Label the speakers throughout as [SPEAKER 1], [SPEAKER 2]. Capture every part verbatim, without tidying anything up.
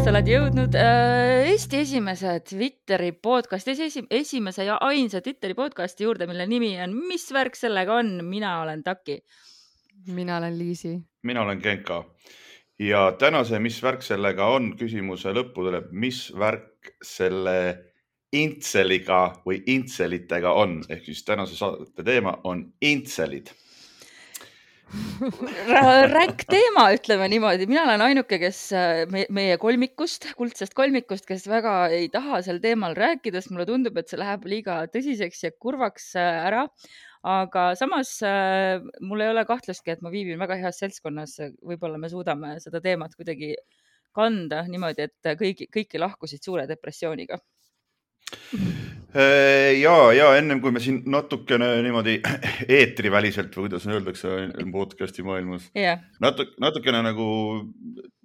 [SPEAKER 1] sa oled jõudnud äh, Eesti esimese Twitteri podcasti, esi, esimese ja ainsa Twitteri podcasti juurde, mille nimi on Mis värk sellega on? Mina olen Taki.
[SPEAKER 2] Mina olen Liisi.
[SPEAKER 3] Mina olen Genka. Ja tänase Mis värk sellega on küsimuse lõppu tuleb, mis värk selle intseliga või intselitega on. Ehk siis tänase saate teema on intselid.
[SPEAKER 1] Ränk teema, ütleme niimoodi. Mina olen ainuke, kes me, meie kolmikust, kuldsest kolmikust, kes väga ei taha sel teemal rääkida, sest mulle tundub, et see läheb liiga tõsiseks ja kurvaks ära. Aga samas mul ei ole kahtlustki, et ma viibin väga heas seltskonnas. Võib-olla me suudame seda teemat kuidagi kanda niimoodi, et kõigi, kõiki lahkusid suure depressiooniga.
[SPEAKER 3] Ja, ja ennem kui me siin natukene niimoodi eetriväliselt või kuidas öeldakse podcasti maailmas,
[SPEAKER 1] yeah.
[SPEAKER 3] natuk, natukene nagu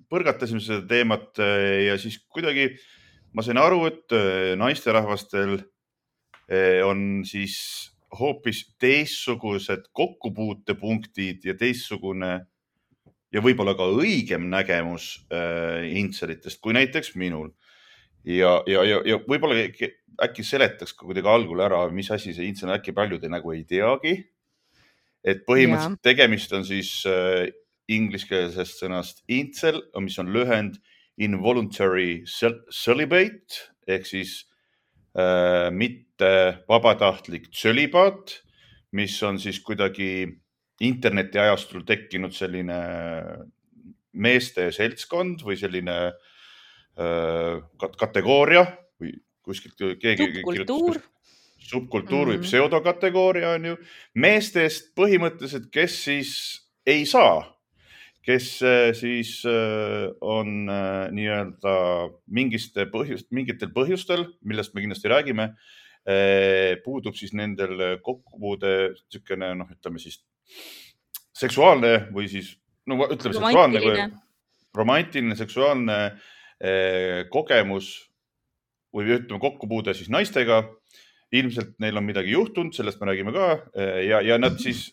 [SPEAKER 3] põrgatasime seda teemat ja siis kuidagi ma sain aru, et naisterahvastel on siis hoopis teistsugused kokkupuutepunktid ja teistsugune ja võib-olla ka õigem nägemus intselitest kui näiteks minul. Ja, ja, ja, ja võib-olla äkki seletaks ka kuidagi algul ära, mis asi see intsel, äkki paljud nagu ei teagi. Et põhimõtteliselt ja. Tegemist on siis äh, ingliskeelsest sõnast intsel, mis on lühend involuntary celibate, ehk siis äh, mitte vabatahtlik tsölibaat, mis on siis kuidagi interneti ajastul tekkinud selline meeste seltskond või selline kategooria või kuskilt keegi
[SPEAKER 1] subkultuur,
[SPEAKER 3] subkultuur või mm-hmm. pseudokategooria on ju meestest põhimõtteliselt, kes siis ei saa, kes siis on nii-öelda mingiste põhjust, mingitel põhjustel, millest me kindlasti räägime, puudub siis nendel kokkupuude tsükene, noh, ütleme siis seksuaalne või siis, no ütleme seksuaalne või romantiline, seksuaalne kogemus või ütleme kokkupuude siis naistega. Ilmselt neil on midagi juhtunud, sellest me räägime ka ja, ja nad siis,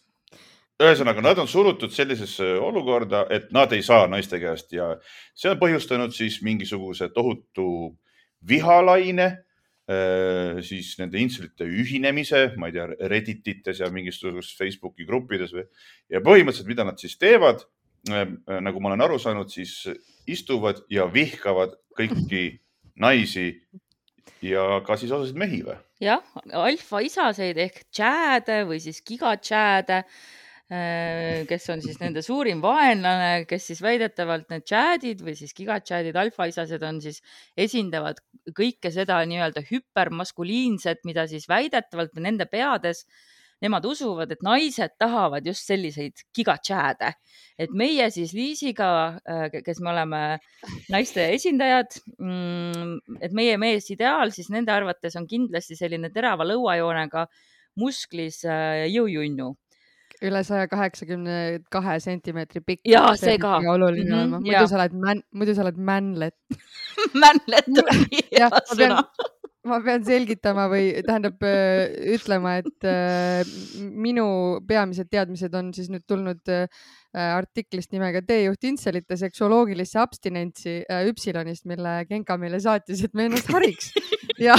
[SPEAKER 3] ühesõnaga, nad on surutud sellisesse olukorda, et nad ei saa naiste käest ja see on põhjustanud siis mingisuguse tohutu vihalaine, siis nende intselite ühinemise, ma ei tea, Redditites ja mingisugustes Facebooki gruppides või. Ja põhimõtteliselt, mida nad siis teevad, nagu ma olen aru saanud, siis istuvad ja vihkavad kõiki naisi ja ka siis osasid mehi või?
[SPEAKER 1] Jah, alfa isaseid ehk tšääde või siis gigatšääde, kes on siis nende suurim vaenlane, kes siis väidetavalt need tšäädid või siis gigatšäädid, alfa isased on siis esindavad kõike seda nii-öelda hüpermaskuliinset, mida siis väidetavalt nende peades nemad usuvad, et naised tahavad just selliseid gigatšääde. Et meie siis Liisiga, kes me oleme naiste esindajad, et meie mees ideaal siis nende arvates on kindlasti selline terava lõuajoonega musklis jõujunnu.
[SPEAKER 2] Üle saja kaheksakümne kahe sentimeetri pikk.
[SPEAKER 1] Jaa, see ka.
[SPEAKER 2] Oluline mm-hmm, olema. Muidu sa oled, man, muidu sa oled manlet.
[SPEAKER 1] Manlet on hea sõna.
[SPEAKER 2] Ma pean selgitama või tähendab ütlema, et minu peamised teadmised on siis nüüd tulnud artiklist nimega Teejuht intselite seksuoloogilisse abstinentsi Üpsilonist, mille Genka meile saatis, et me ennast hariks. Ja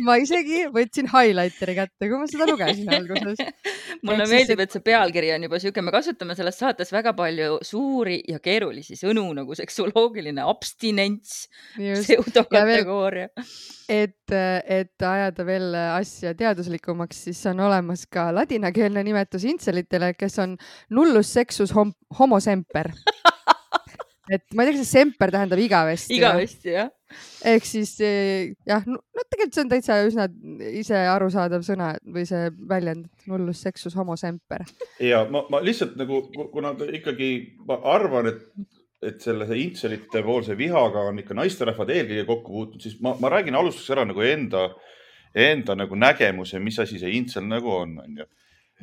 [SPEAKER 2] ma isegi võtsin highlighteri kätte, kui ma seda lugesin alguses.
[SPEAKER 1] Mulle meeldib, et see pealkiri on juba siuke, me kasutame selles saates väga palju suuri ja keerulisi sõnu nagu seksuoloogiline abstinents, pseudokategooria.
[SPEAKER 2] Et, et ajada veel asja teaduslikumaks, siis on olemas ka ladinakeelne nimetus intselitele, kes on nullus sexus hom- homo semper. Et ma ei tea, kas see semper tähendab igavesti.
[SPEAKER 1] Igavesti, jah.
[SPEAKER 2] Ehk siis jah, no tegelikult see on täitsa üsna ise arusaadav sõna või see väljend nullus sexus homo semper.
[SPEAKER 3] Ja ma, ma lihtsalt nagu, kuna ikkagi ma arvan, et, et selle see intselite poolse vihaga on ikka naisterahvad eelkõige kokku puutunud, siis ma, ma räägin alustuseks ära nagu enda, enda nagu nägemuse, mis asi see intsel nagu on. on ju.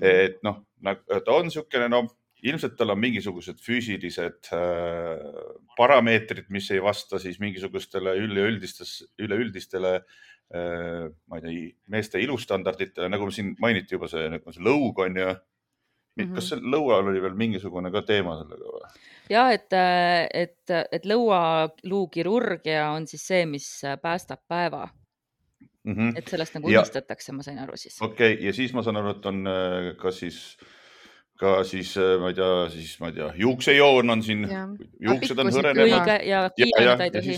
[SPEAKER 3] Et noh, ta on siukene, no ilmselt tal on mingisugused füüsilised äh, parameetrid, mis ei vasta siis mingisugustele üleüldistele äh, ma ei tea, meeste ilustandarditele, nagu siin mainiti juba see, see lõug on ja kas see lõual oli veel mingisugune ka teema sellega või?
[SPEAKER 1] Ja, et, et, et lõualuukirurgia on siis see, mis päästab päeva. Mm -hmm. Et sellest nagu unistatakse, ma sain aru siis.
[SPEAKER 3] Okei, okay. Ja siis ma saan aru, et on ka siis, ka siis, ma ei tea, siis, ma ei tea, juuksejoon on siin, ja. Juuksed on hõrenevad.
[SPEAKER 1] Ja kiileneda ei tohi.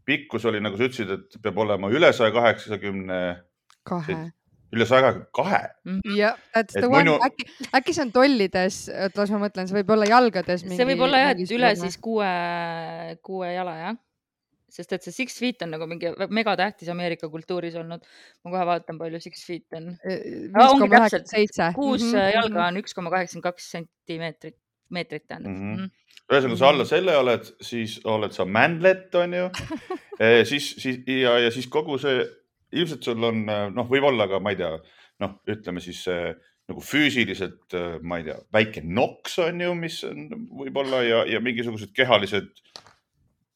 [SPEAKER 3] Pikkus oli, nagu sa ütlesid, et peab olema üle saja kaheksakümne
[SPEAKER 2] kahe.
[SPEAKER 3] Üle saja kahe.
[SPEAKER 2] Ja, that's the one. Minu... Äkki, äkki see on tollides, et las ma mõtlen, see võib olla jalgades. Mingi,
[SPEAKER 1] see võib olla jah, et üle siis kuue, kuue jala, jah. Sest et see six feet on nagu mingi megatähtis Ameerika kultuuris olnud. Ma kohe vaatan, palju six feet on.
[SPEAKER 2] viis koma üheksakümmend seitse.
[SPEAKER 1] Kuus mm -hmm. jalga on üks koma kaheksakümmend kaks sentimeetrit, meetrit tähendab.
[SPEAKER 3] Mm -hmm. Ühesõnaga, sa alla selle oled, siis oled sa mändlet, on ju. e, siis, siis, ja, ja siis kogu see, ilmselt sul on, noh, võib olla ka, ma ei tea, noh, ütleme siis see, nagu füüsiliselt, ma ei tea, väike noks on ju, mis on võib-olla ja, ja mingisugused kehalised,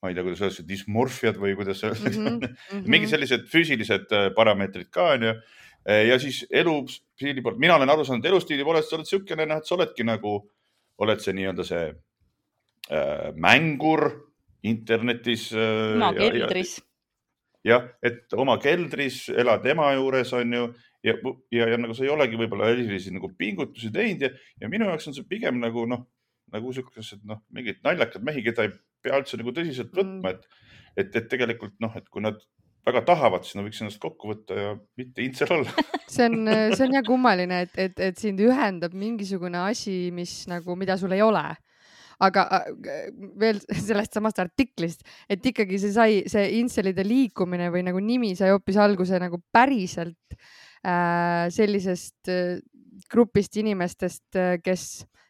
[SPEAKER 3] ma ei tea, kuidas öeldakse, dysmorfiad või kuidas öeldakse, mm -hmm. mingid sellised füüsilised parameetrid ka on ju. Ja siis elustiili poolt, mina olen aru saanud, elustiili poolest sa oled siukene, noh, et sa oledki nagu, oled see nii-öelda see äh, mängur internetis.
[SPEAKER 1] Oma keldris.
[SPEAKER 3] Jah, et oma keldris elad ema juures on ju ja, ja, ja nagu sa ei olegi võib-olla erilisi nagu pingutusi teinud ja, ja minu jaoks on see pigem nagu noh, nagu siukesed noh, mingid naljakad mehi, keda ei pea üldse nagu tõsiselt võtma, et, et, et tegelikult noh, et kui nad väga tahavad, siis nad võiks ennast kokku võtta ja mitte intsel olla.
[SPEAKER 2] see on, see on jah kummaline, et, et, et sind ühendab mingisugune asi, mis nagu, mida sul ei ole. Aga veel sellest samast artiklist, et ikkagi see sai, see intselide liikumine või nagu nimi sai hoopis alguse nagu päriselt äh, sellisest äh, grupist inimestest, kes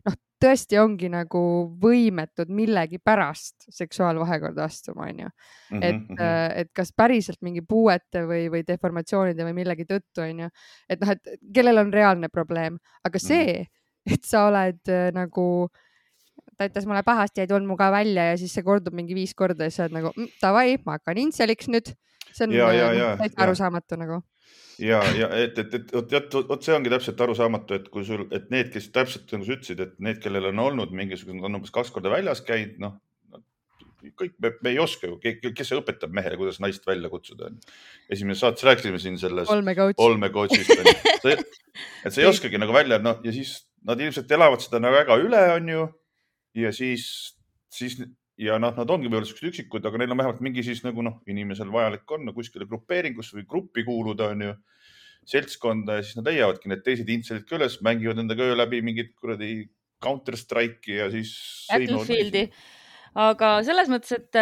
[SPEAKER 2] noh, tõesti ongi nagu võimetud millegi pärast seksuaalvahekorda astuma, on ju. Et, mm -hmm. et kas päriselt mingi puuete või, või deformatsioonide või millegi tõttu, on ju. Et noh, et kellel on reaalne probleem, aga see, et sa oled äh, nagu ta ütles mulle pahasti, ei tulnud mu ka välja ja siis see kordub mingi viis korda ja sa oled nagu, davai, ma hakkan intseliks nüüd. See on täitsa arusaamatu nagu.
[SPEAKER 3] Ja, ja et, et, et, et, et, et see ongi täpselt arusaamatu, et kui sul, et need, kes täpselt nagu sa ütlesid, et need, kellel on olnud mingisugune, on umbes kaks korda väljas käinud, noh, kõik me, me ei oska ju, kes see õpetab mehele, kuidas naist välja kutsuda. Esimene saates rääkisime siin sellest olmecoachist, et sa ei oskagi nagu välja, noh, ja siis nad ilmselt elavad seda nagu väga üle, on ju. Ja siis, siis ja noh, nad ongi võib-olla sellised üksikud, aga neil on vähemalt mingi siis nagu noh, inimesel vajalik on no, kuskile grupeeringus või gruppi kuuluda on ju seltskonda ja siis nad leiavadki need teised intselid ka üles, mängivad endaga öö läbi mingit kuradi Counter-Strike'i ja siis
[SPEAKER 1] Battlefieldi. Aga selles mõttes, et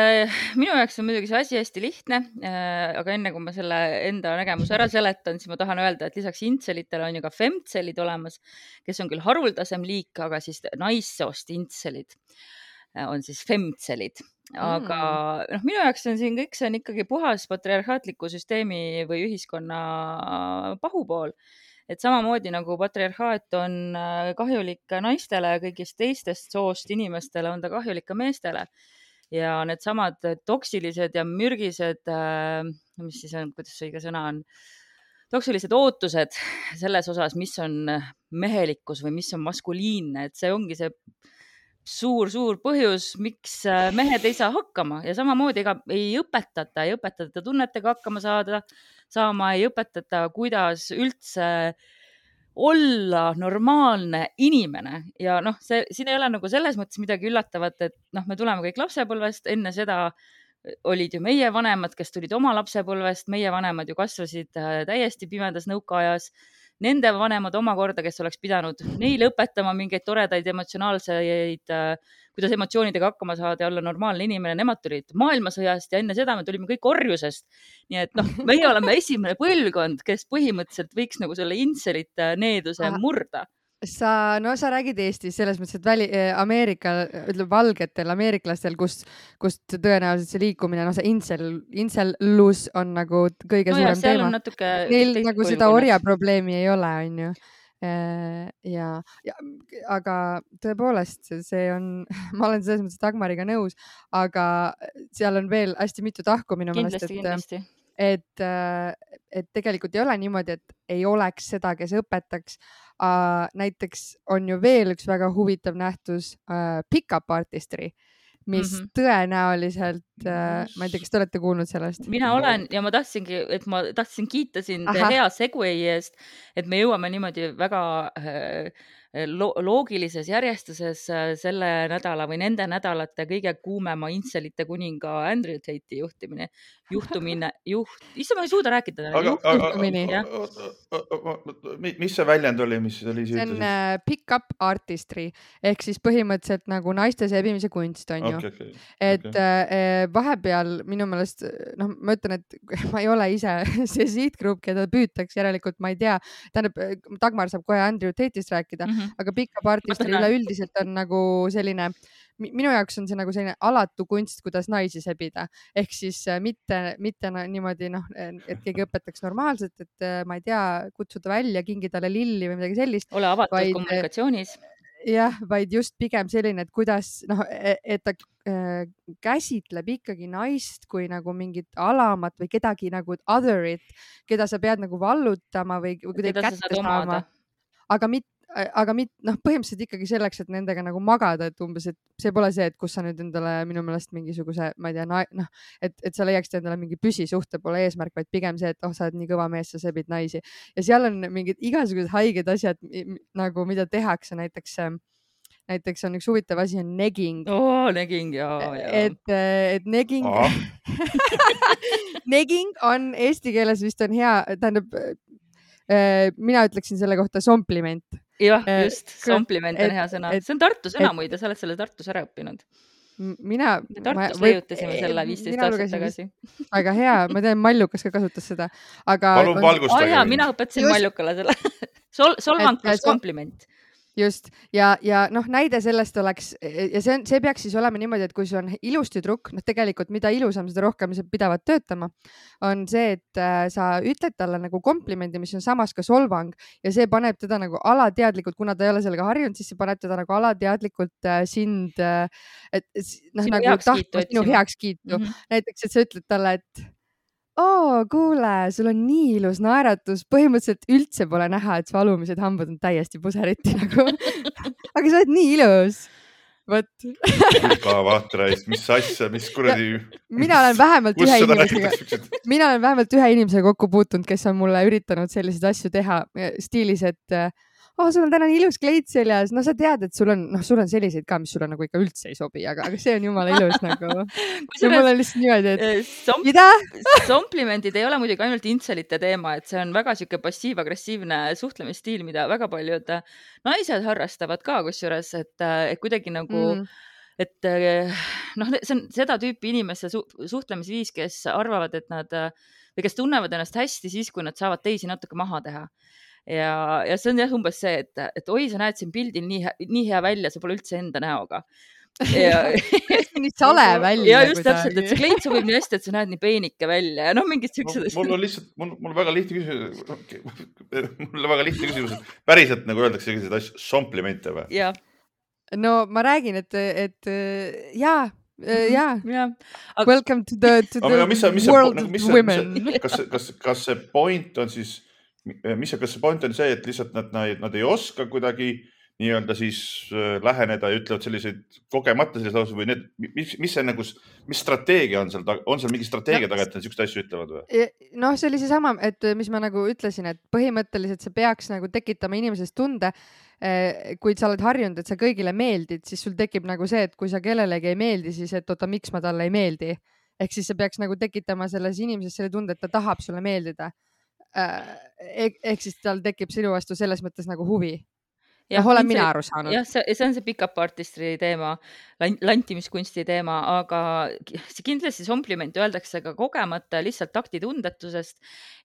[SPEAKER 1] minu jaoks on muidugi see asi hästi lihtne, aga enne kui ma selle enda nägemuse ära seletan, siis ma tahan öelda, et lisaks intselitele on ju ka femtselid olemas, kes on küll haruldasem liik, aga siis naissoost intselid on siis femtselid. Aga mm. noh, minu jaoks on siin kõik, see on ikkagi puhas patriarhaatliku süsteemi või ühiskonna pahupool. Et samamoodi nagu patriarhaat on kahjulik naistele ja kõigist teistest soost inimestele, on ta kahjulik ka meestele. Ja need samad toksilised ja mürgised, mis siis on, kuidas see õige sõna on, toksilised ootused selles osas, mis on mehelikkus või mis on maskuliinne, et see ongi see suur-suur põhjus, miks mehed ei saa hakkama ja samamoodi ega ei õpetata, ei õpetata tunnetega hakkama saada, saama ei õpetata, kuidas üldse olla normaalne inimene ja noh, see, siin ei ole nagu selles mõttes midagi üllatavat, et noh, me tuleme kõik lapsepõlvest, enne seda olid ju meie vanemad, kes tulid oma lapsepõlvest, meie vanemad ju kasvasid täiesti pimedas nõukaajas. Nende vanemad omakorda, kes oleks pidanud neile õpetama mingeid toredaid emotsionaalseid, kuidas emotsioonidega hakkama saada ja olla normaalne inimene, nemad tulid maailmasõjast ja enne seda me tulime kõik orjusest. Nii et noh, meie oleme esimene põlvkond, kes põhimõtteliselt võiks nagu selle intselite needuse Aha. murda.
[SPEAKER 2] Sa, no sa räägid Eestis selles mõttes, et väli, Ameerika, ütleb valgetel ameeriklastel, kust, kust tõenäoliselt see liikumine, no see insel, insellus on nagu kõige no suurem teema. Neil nagu seda orja probleemi ei ole, on ju. Ja, ja, aga tõepoolest see on, ma olen selles mõttes Dagmariga nõus, aga seal on veel hästi mitu tahku minu
[SPEAKER 1] kindlasti,
[SPEAKER 2] meelest, et, et et tegelikult ei ole niimoodi, et ei oleks seda, kes õpetaks. Uh, näiteks on ju veel üks väga huvitav nähtus uh, pick-up artistry, mis mm -hmm. tõenäoliselt uh,, ma ei tea, kas te olete kuulnud sellest?
[SPEAKER 1] Mina olen ja ma tahtsingi, et ma tahtsin kiita sind Aha. hea segway eest, et me jõuame niimoodi väga äh, lo loogilises järjestuses selle nädala või nende nädalate kõige kuumema intselite kuninga Andrew Tate'i juhtimine, juhtumine, juht, issa ma ei suuda rääkida.
[SPEAKER 3] Aga, juhtumini. Mis see väljend oli, mis oli?
[SPEAKER 2] See on pick-up artistry ehk siis põhimõtteliselt nagu naiste sebimise kunst on ju. Okay, okay, et okay. vahepeal minu meelest, noh, ma ütlen, et ma ei ole ise see sihtgrupp, keda püütaks, järelikult ma ei tea, tähendab, Dagmar saab kohe Andrew Tate'ist rääkida, mm -hmm. aga pick-up artistry üleüldiselt on nagu selline, minu jaoks on see nagu selline alatu kunst, kuidas naisi sebida. Ehk siis mitte, mitte niimoodi, noh, et keegi õpetaks normaalselt, et ma ei tea, kutsuda välja, kingi talle lilli või midagi sellist.
[SPEAKER 1] Ole avatud vaid, kommunikatsioonis.
[SPEAKER 2] Jah, vaid just pigem selline, et kuidas, noh, et ta äh, käsitleb ikkagi naist kui nagu mingit alamat või kedagi nagu other'it, keda sa pead nagu vallutama või, või kuidagi kätte saama. Aga mitte aga mit, noh, põhimõtteliselt ikkagi selleks, et nendega nagu magada, et umbes, et see pole see, et kus sa nüüd endale minu meelest mingisuguse, ma ei tea, noh, et, et sa leiaksid endale mingi püsisuhte pole eesmärk, vaid pigem see, et oh, sa oled nii kõva mees, sa sebid naisi. Ja seal on mingid igasugused haiged asjad nagu, mida tehakse, näiteks, näiteks on üks huvitav asi on negging.
[SPEAKER 1] Oo, negging, jaa, jaa.
[SPEAKER 2] Et, et negging, negging on eesti keeles vist on hea, tähendab, mina ütleksin selle kohta sompliment.
[SPEAKER 1] Jah, just, sompliment on hea sõna. See on Tartu sõna muide, sa oled selle Tartus ära õppinud.
[SPEAKER 2] Mina...
[SPEAKER 1] Tartus leiutasime selle viisteist aastat tagasi.
[SPEAKER 2] Väga hea, ma tean, Mallukas ka kasutas seda. Aga...
[SPEAKER 3] Palun valgustage.
[SPEAKER 1] Oh, jaa, mina õpetasin just... Mallukale selle. Sol solvang plus kompliment.
[SPEAKER 2] Just. Ja, ja noh, näide sellest oleks, ja see, on, see peaks siis olema niimoodi, et kui see on ilus tüdruk, noh tegelikult mida ilusam, seda rohkem sa pidavad töötama, on see, et äh, sa ütled talle nagu komplimendi, mis on samas ka solvang ja see paneb teda nagu alateadlikult, kuna ta ei ole sellega harjunud, siis see paneb teda nagu alateadlikult äh, sind, äh, et noh,
[SPEAKER 1] sinu
[SPEAKER 2] nagu tahtma sinu heakskiitu. Mm -hmm. Näiteks, et sa ütled talle, et oo, kuule, sul on nii ilus naeratus, põhimõtteliselt üldse pole näha, et su alumised hambad on täiesti puseriti nagu. Aga sa oled nii ilus. Võt.
[SPEAKER 3] Ka vaatreist, mis asja, mis kuradi...
[SPEAKER 2] Mina olen vähemalt ühe inimesega, mina olen vähemalt ühe inimesega kokku puutunud, kes on mulle üritanud selliseid asju teha stiilis, et oh, sul on täna nii ilus kleit seljas, no sa tead, et sul on, noh, sul on selliseid ka, mis sulle nagu ikka üldse ei sobi, aga, aga see on jumala ilus nagu. Ja mul on lihtsalt niimoodi, et
[SPEAKER 1] Somp
[SPEAKER 2] mida?
[SPEAKER 1] Komplimendid ei ole muidugi ainult intselite teema, et see on väga siuke passiiv-agressiivne suhtlemisstiil, mida väga paljud naised harrastavad ka kusjuures, et, et kuidagi nagu mm. et noh, see on seda tüüpi inimeste su suhtlemisviis, kes arvavad, et nad või kes tunnevad ennast hästi siis, kui nad saavad teisi natuke maha teha. Ja, ja see on jah umbes see, et, et oi, sa näed siin pildil nii, nii hea välja, sa pole üldse enda näoga.
[SPEAKER 2] Ja, nii sale välja.
[SPEAKER 1] Ja just täpselt, et see kleit sobib nii hästi, et sa näed nii peenike välja ja noh, mingid siuksed.
[SPEAKER 3] Mul on lihtsalt, mul, mul väga lihtne küsimus, mul on väga lihtne küsimus, et päriselt nagu öeldakse selliseid asju, somplimente või?
[SPEAKER 1] Ja.
[SPEAKER 2] No ma räägin, et, et jaa, jaa. Ja. Welcome to the, to the
[SPEAKER 3] mis, mis,
[SPEAKER 2] world
[SPEAKER 3] mis,
[SPEAKER 2] of women.
[SPEAKER 3] Kas, kas, kas see point on siis mis, kas see point on see, et lihtsalt nad, nad, nad ei oska kuidagi nii-öelda siis läheneda ja ütlevad selliseid kogemata selliseid lauseid või need, mis, mis see nagu, mis strateegia on seal, on seal mingi strateegia no, taga, et nad siukest asju ütlevad või?
[SPEAKER 2] Noh, see oli see sama, et mis ma nagu ütlesin, et põhimõtteliselt see peaks nagu tekitama inimesest tunde, kui sa oled harjunud, et sa kõigile meeldid, siis sul tekib nagu see, et kui sa kellelegi ei meeldi, siis et oota, miks ma talle ei meeldi. Ehk siis see peaks nagu tekitama selles inimeses selle tunde, et ta tahab sulle meeldida. Ehk siis tal tekib sinu vastu selles mõttes nagu huvi. Ja olen mina aru saanud.
[SPEAKER 1] Jah, see, see on see pick-up artistry teema, lantimiskunsti teema, aga see kindlasti kompliment öeldakse ka kogemata lihtsalt taktitundetusest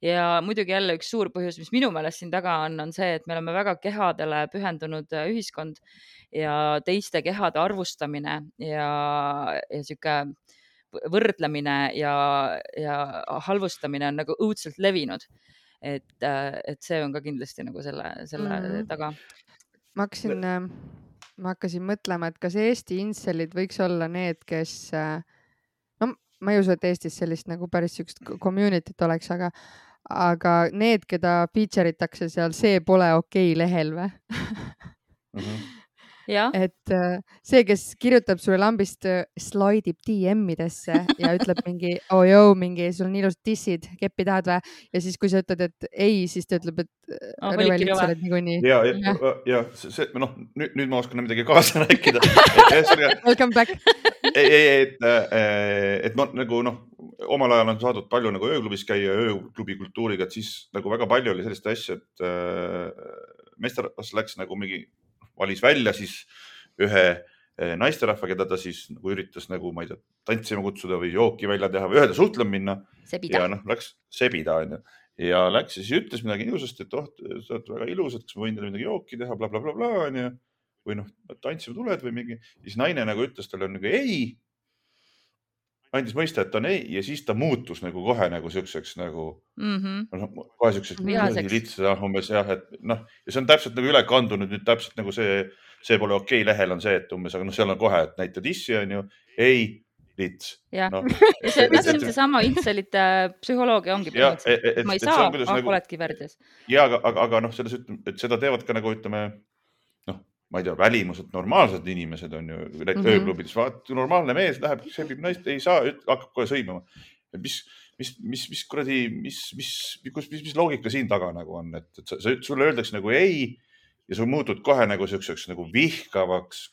[SPEAKER 1] ja muidugi jälle üks suur põhjus, mis minu meelest siin taga on, on see, et me oleme väga kehadele pühendunud ühiskond ja teiste kehade arvustamine ja, ja siuke võrdlemine ja, ja halvustamine on nagu õudselt levinud. Et, et see on ka kindlasti nagu selle, selle mm. taga.
[SPEAKER 2] Ma hakkasin, ma hakkasin mõtlema, et kas Eesti inselid võiks olla need, kes, no ma ei usu, et Eestis sellist nagu päris sükst community't oleks, aga, aga need, keda feature itakse seal, see pole okei okay lehel või?
[SPEAKER 3] mm. -hmm.
[SPEAKER 1] Ja.
[SPEAKER 2] et see, kes kirjutab sulle lambist, slaidib D M-idesse ja ütleb mingi, oh joo, mingi, sul on ilusad dissid, keppi tahad või? Ja siis, kui sa ütled, et ei, siis ta ütleb, et
[SPEAKER 1] Oh,
[SPEAKER 2] rõve
[SPEAKER 1] olidki
[SPEAKER 2] lihtsalt
[SPEAKER 1] rõve.
[SPEAKER 2] et niikuinii.
[SPEAKER 3] ja, ja, ja see, noh, nüüd, nüüd ma oskan midagi kaasa rääkida.
[SPEAKER 2] Welcome back.
[SPEAKER 3] ei, ei, et, et ma nagu noh, omal ajal on saadud palju nagu ööklubis käia, ööklubi kultuuriga, et siis nagu väga palju oli sellist asja, et meesterahvas läks nagu mingi, valis välja siis ühe naisterahva, keda ta siis nagu üritas nagu, ma ei tea, tantsima kutsuda või jooki välja teha või ühele suhtlema minna.
[SPEAKER 1] Sebida.
[SPEAKER 3] Ja noh, läks sebida, on ju. Ja läks ja siis ütles midagi ilusasti, et oh, sa oled väga ilus, et kas ma võin teile midagi jooki teha, bla, bla, bla, bla, on ju. Või noh, tantsima tuled või mingi. Siis naine nagu ütles talle nagu ei. Andis mõista, et on ei. Ja siis ta muutus nagu kohe nagu siukseks nagu,
[SPEAKER 1] mm -hmm.
[SPEAKER 3] no, kohe siukseks
[SPEAKER 1] Vihaseks.
[SPEAKER 3] umbes jah, et noh, ja see on täpselt nagu üle kandunud nüüd täpselt nagu see, see pole okei okay lehel on see, et umbes, aga noh, seal on kohe, et näita dissi on ju, ei, lits.
[SPEAKER 1] Jah,
[SPEAKER 3] no,
[SPEAKER 1] ja see, see on seesama intselite psühholoogia ongi põhimõtteliselt. Ma ei saa, ah, nagu, oledki värdjas.
[SPEAKER 3] Ja, aga, aga, aga noh, selles ütleme, et seda teevad ka nagu ütleme, noh, ma ei tea, välimused, normaalsed inimesed on ju mm -hmm. ööklubides, vaat normaalne mees läheb, sebib naist, ei saa, hakkab kohe sõimama. Mis, mis, mis, mis kuradi, mis, mis, mis, mis, mis loogika siin taga nagu on, et, et sa, sulle öeldakse nagu ei ja sa muutud kohe nagu siukseks nagu vihkavaks,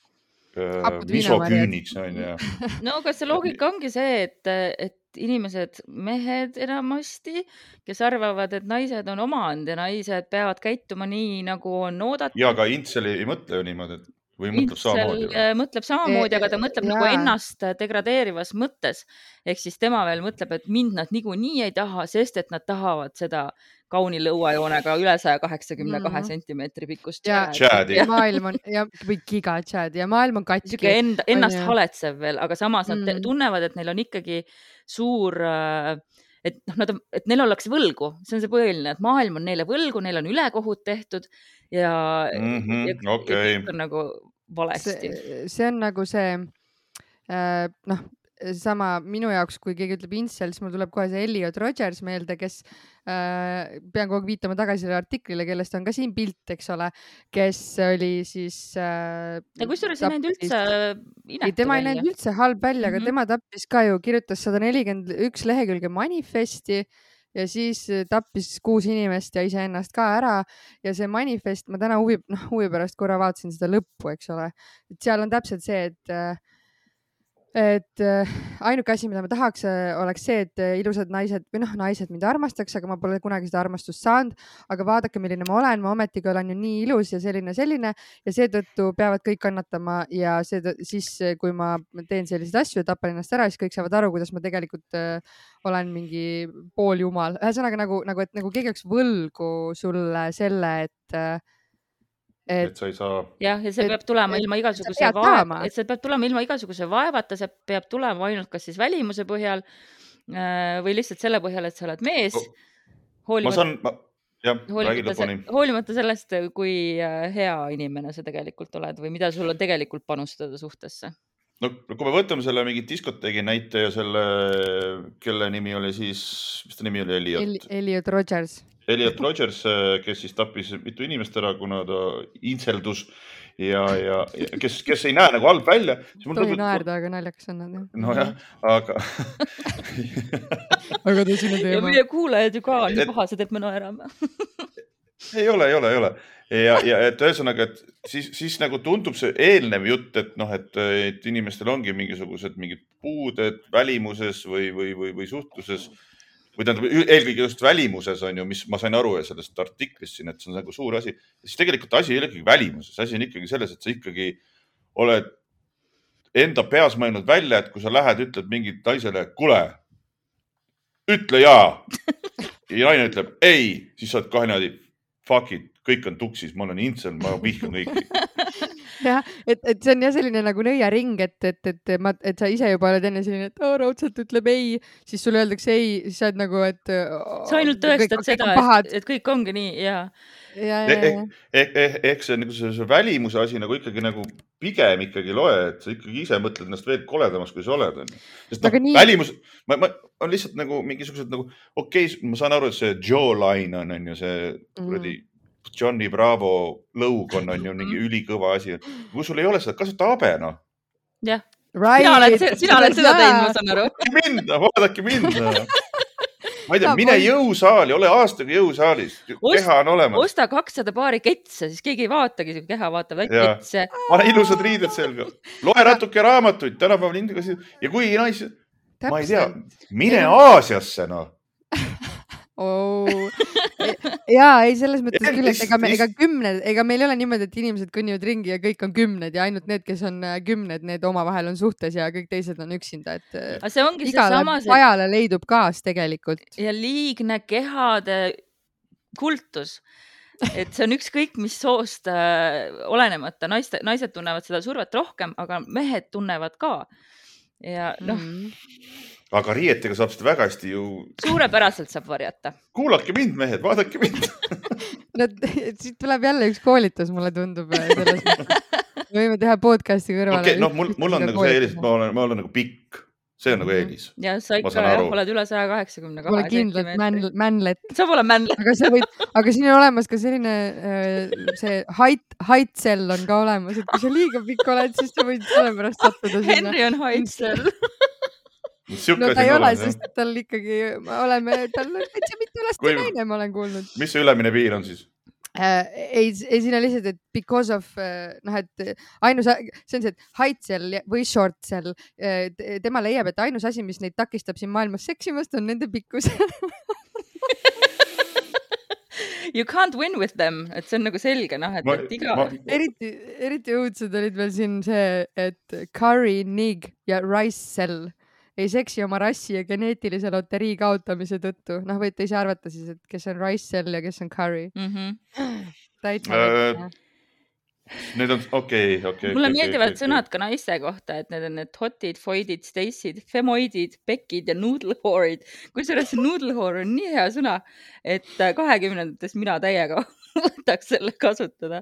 [SPEAKER 3] misoküüniks on ju.
[SPEAKER 1] No aga see loogika ongi see, et, et inimesed, mehed enamasti, kes arvavad, et naised on omand ja naised peavad käituma nii, nagu on oodatud.
[SPEAKER 3] Ja, aga Intsel ei mõtle ju niimoodi, et või mõtleb samamoodi?
[SPEAKER 1] Intsel mõtleb samamoodi, aga ta mõtleb ja. nagu ennast degradeerivas mõttes. Ehk siis tema veel mõtleb, et mind nad niikuinii ei taha, sest et nad tahavad seda kauni lõuajoonega üle saja kaheksakümne kahe sentimeetri pikkust
[SPEAKER 3] tšäädi.
[SPEAKER 2] Ja maailm on, ja, või giga tšäädi ja maailm on katki.
[SPEAKER 1] Enda, ennast on, haletsev veel, aga samas mm. nad tunnevad, et neil on ikkagi suur, et, noh, nad on, et neil ollakse võlgu. See on see põhiline, et maailm on neile võlgu, neil on ülekohut tehtud ja,
[SPEAKER 3] mm -hmm,
[SPEAKER 1] ja,
[SPEAKER 3] okay.
[SPEAKER 1] ja on nagu valesti.
[SPEAKER 2] See, see on nagu see, äh, noh, sama minu jaoks, kui keegi ütleb Intsel, siis mul tuleb kohe see Elliot Rogers meelde, kes äh, pean kogu aeg viitama tagasi selle artiklile, kellest on ka siin pilt, eks ole, kes oli siis äh,
[SPEAKER 1] ja kusjuures ei näinud üldse inetu
[SPEAKER 2] ei, tema ei näinud üldse halb välja, aga mm -hmm. tema tappis ka ju, kirjutas sada nelikümmend üks lehekülge manifesti ja siis tappis kuus inimest ja iseennast ka ära ja see manifest, ma täna huvi, noh, huvi pärast korra vaatasin seda lõppu, eks ole, et seal on täpselt see, et äh, et äh, ainuke asi, mida ma tahaks, oleks see, et äh, ilusad naised või noh, naised mind armastaks, aga ma pole kunagi seda armastust saanud, aga vaadake, milline ma olen, ma ometigi olen ju nii ilus ja selline, selline ja seetõttu peavad kõik kannatama ja see, siis, kui ma teen selliseid asju ja tapan ennast ära, siis kõik saavad aru, kuidas ma tegelikult äh, olen mingi pooljumal. Ühesõnaga nagu, nagu, et nagu keegi oleks võlgu sulle selle, et äh,
[SPEAKER 3] Et, et sa ei saa.
[SPEAKER 1] jah, ja see et, peab tulema et, ilma igasuguse vaeva, et see peab tulema ilma igasuguse vaevata, see peab tulema ainult kas siis välimuse põhjal või lihtsalt selle põhjal, et sa oled mees.
[SPEAKER 3] Hoolimata, ma saan, ma, jah,
[SPEAKER 1] hoolimata, se, hoolimata sellest, kui hea inimene sa tegelikult oled või mida sul on tegelikult panustada suhtesse.
[SPEAKER 3] No kui me võtame selle mingi diskoteegi näite ja selle, kelle nimi oli siis, mis ta nimi oli, Elliot?
[SPEAKER 2] Elliot Rogers.
[SPEAKER 3] Elliot Rogers, kes siis tappis mitu inimest ära, kuna ta intseldus ja, ja, ja kes, kes ei näe nagu halb välja.
[SPEAKER 2] Tohi naerda, aga naljakas on nad.
[SPEAKER 3] No jah, aga...
[SPEAKER 2] aga tõsine teema.
[SPEAKER 1] Ja meie kuulajad ju ka on nii pahased, et me naerame.
[SPEAKER 3] ei ole, ei ole, ei ole. Ja, ja et ühesõnaga, et siis, siis nagu tundub see eelnev jutt, et noh, et, et inimestel ongi mingisugused mingid puuded välimuses või, või, või, või suhtluses või tähendab eelkõige just välimuses on ju, mis ma sain aru sellest artiklist siin, et see on nagu suur asi. Siis tegelikult asi ei ole ikkagi välimuses. Asi on ikkagi selles, et sa ikkagi oled enda peas mõelnud välja, et kui sa lähed, ütled mingit naisele, kule, ütle jaa. Ja naine ütleb ei, siis sa oled kahe niimoodi, fuck it, kõik on tuksis, ma olen intsel, ma vihkan kõiki.
[SPEAKER 2] jah, et, et see on jah selline nagu nõiaring, et, et, et, ma, et sa ise juba oled enne selline, et oh, raudselt ütleb ei, siis sulle öeldakse ei, siis sa oled nagu, et oh,
[SPEAKER 1] sa ainult tõestad seda, et, et kõik ongi nii ja.
[SPEAKER 2] Ja,
[SPEAKER 3] ja, ja. Ehk, ehk, ehk see, nagu see, see välimuse asi nagu ikkagi nagu pigem ikkagi loe, et sa ikkagi ise mõtled ennast veel koledamaks, kui sa oled. Sest noh, nii... välimus, ma, ma on lihtsalt nagu mingisugused nagu, okei okay,, ma saan aru, et see jawline on, on ju see kuradi mm. Johnny Bravo lõug on, on ju mingi ülikõva asi. Kui sul ei ole seda, kasuta habe, noh.
[SPEAKER 1] jah,
[SPEAKER 2] right.
[SPEAKER 1] sina oled, sina oled seda teinud, ma saan aru.
[SPEAKER 3] Mind, vaadake mind. Ma ei tea, mine jõusaali, ole aastaga jõusaalis. Keha on olemas.
[SPEAKER 1] Osta kakssada paari ketse, siis keegi ei vaatagi, kui keha vaatab väike ketse.
[SPEAKER 3] Pane ilusad riided selga. Loe natuke raamatuid, tänapäeval indega. Ja kui naisi, ma ei tea, mine Aasiasse, noh.
[SPEAKER 2] Oh. Jaa, ei selles mõttes küll, et ega, me, ega kümned, ega meil ei ole niimoodi, et inimesed kõnnivad ringi ja kõik on kümned ja ainult need, kes on kümned, need omavahel on suhtes ja kõik teised on üksinda, et
[SPEAKER 1] see ongi
[SPEAKER 2] igale
[SPEAKER 1] see
[SPEAKER 2] vajale leidub kaas tegelikult.
[SPEAKER 1] Ja liigne kehade kultus, et see on ükskõik, mis soost äh, olenemata, naiste, naised tunnevad seda survet rohkem, aga mehed tunnevad ka ja noh mm.
[SPEAKER 3] Aga riietega saab seda väga hästi ju...
[SPEAKER 1] Suurepäraselt saab varjata.
[SPEAKER 3] Kuulake mind, mehed, vaadake mind.
[SPEAKER 2] No, siit tuleb jälle üks koolitus, mulle tundub. Selles me võime teha podcasti kõrvale.
[SPEAKER 3] Okay, no, mul, mul on nagu see eelis, ma olen, ma olen nagu pikk. See on nagu eelis.
[SPEAKER 1] Ja sa ikka jah, oled üle saja kaheksakümne kahe.
[SPEAKER 2] Pole kindlalt man, manlet.
[SPEAKER 1] Sa pole manlet.
[SPEAKER 2] Aga, sa võid, aga siin on olemas ka selline see height, height cell on ka olemas, et kui sa liiga pikk oled, siis sa võid selle pärast sattuda sinna.
[SPEAKER 1] Henry on height cell.
[SPEAKER 2] No ta ei ole, sest tal ikkagi, oleme, tal on täitsa mitte laste naine, ma olen kuulnud.
[SPEAKER 3] Mis see ülemine piir on siis?
[SPEAKER 2] Äh, ei, ei siin on lihtsalt, et because of, noh, et ainus, see on see, et height cell või short cell, tema leiab, et ainus asi, mis neid takistab siin maailmas seksimast, on nende pikkus.
[SPEAKER 1] You can't win with them, et see on nagu selge, noh, et, ma, et iga... Ma...
[SPEAKER 2] Eriti, eriti õudsed olid veel siin see, et Curry, Nig ja Rice cell ei seksi oma rassi ja geneetilise loterii kaotamise tõttu. Noh, võite ise arvata siis, et kes on Rice cell ja kes on Curry.
[SPEAKER 1] Mm-hmm.
[SPEAKER 2] Täitsa
[SPEAKER 3] äh, need on, okei, okay, okei. Okay,
[SPEAKER 1] mulle
[SPEAKER 3] okay,
[SPEAKER 1] meeldivad
[SPEAKER 3] okay,
[SPEAKER 1] sõnad ka naiste kohta, et need on need hotid, foidid, stacid, femoidid, bekid ja noodlehoorid. Kusjuures noodlehoor on nii hea sõna, et kahekümnendates mina täiega võtaks selle kasutada.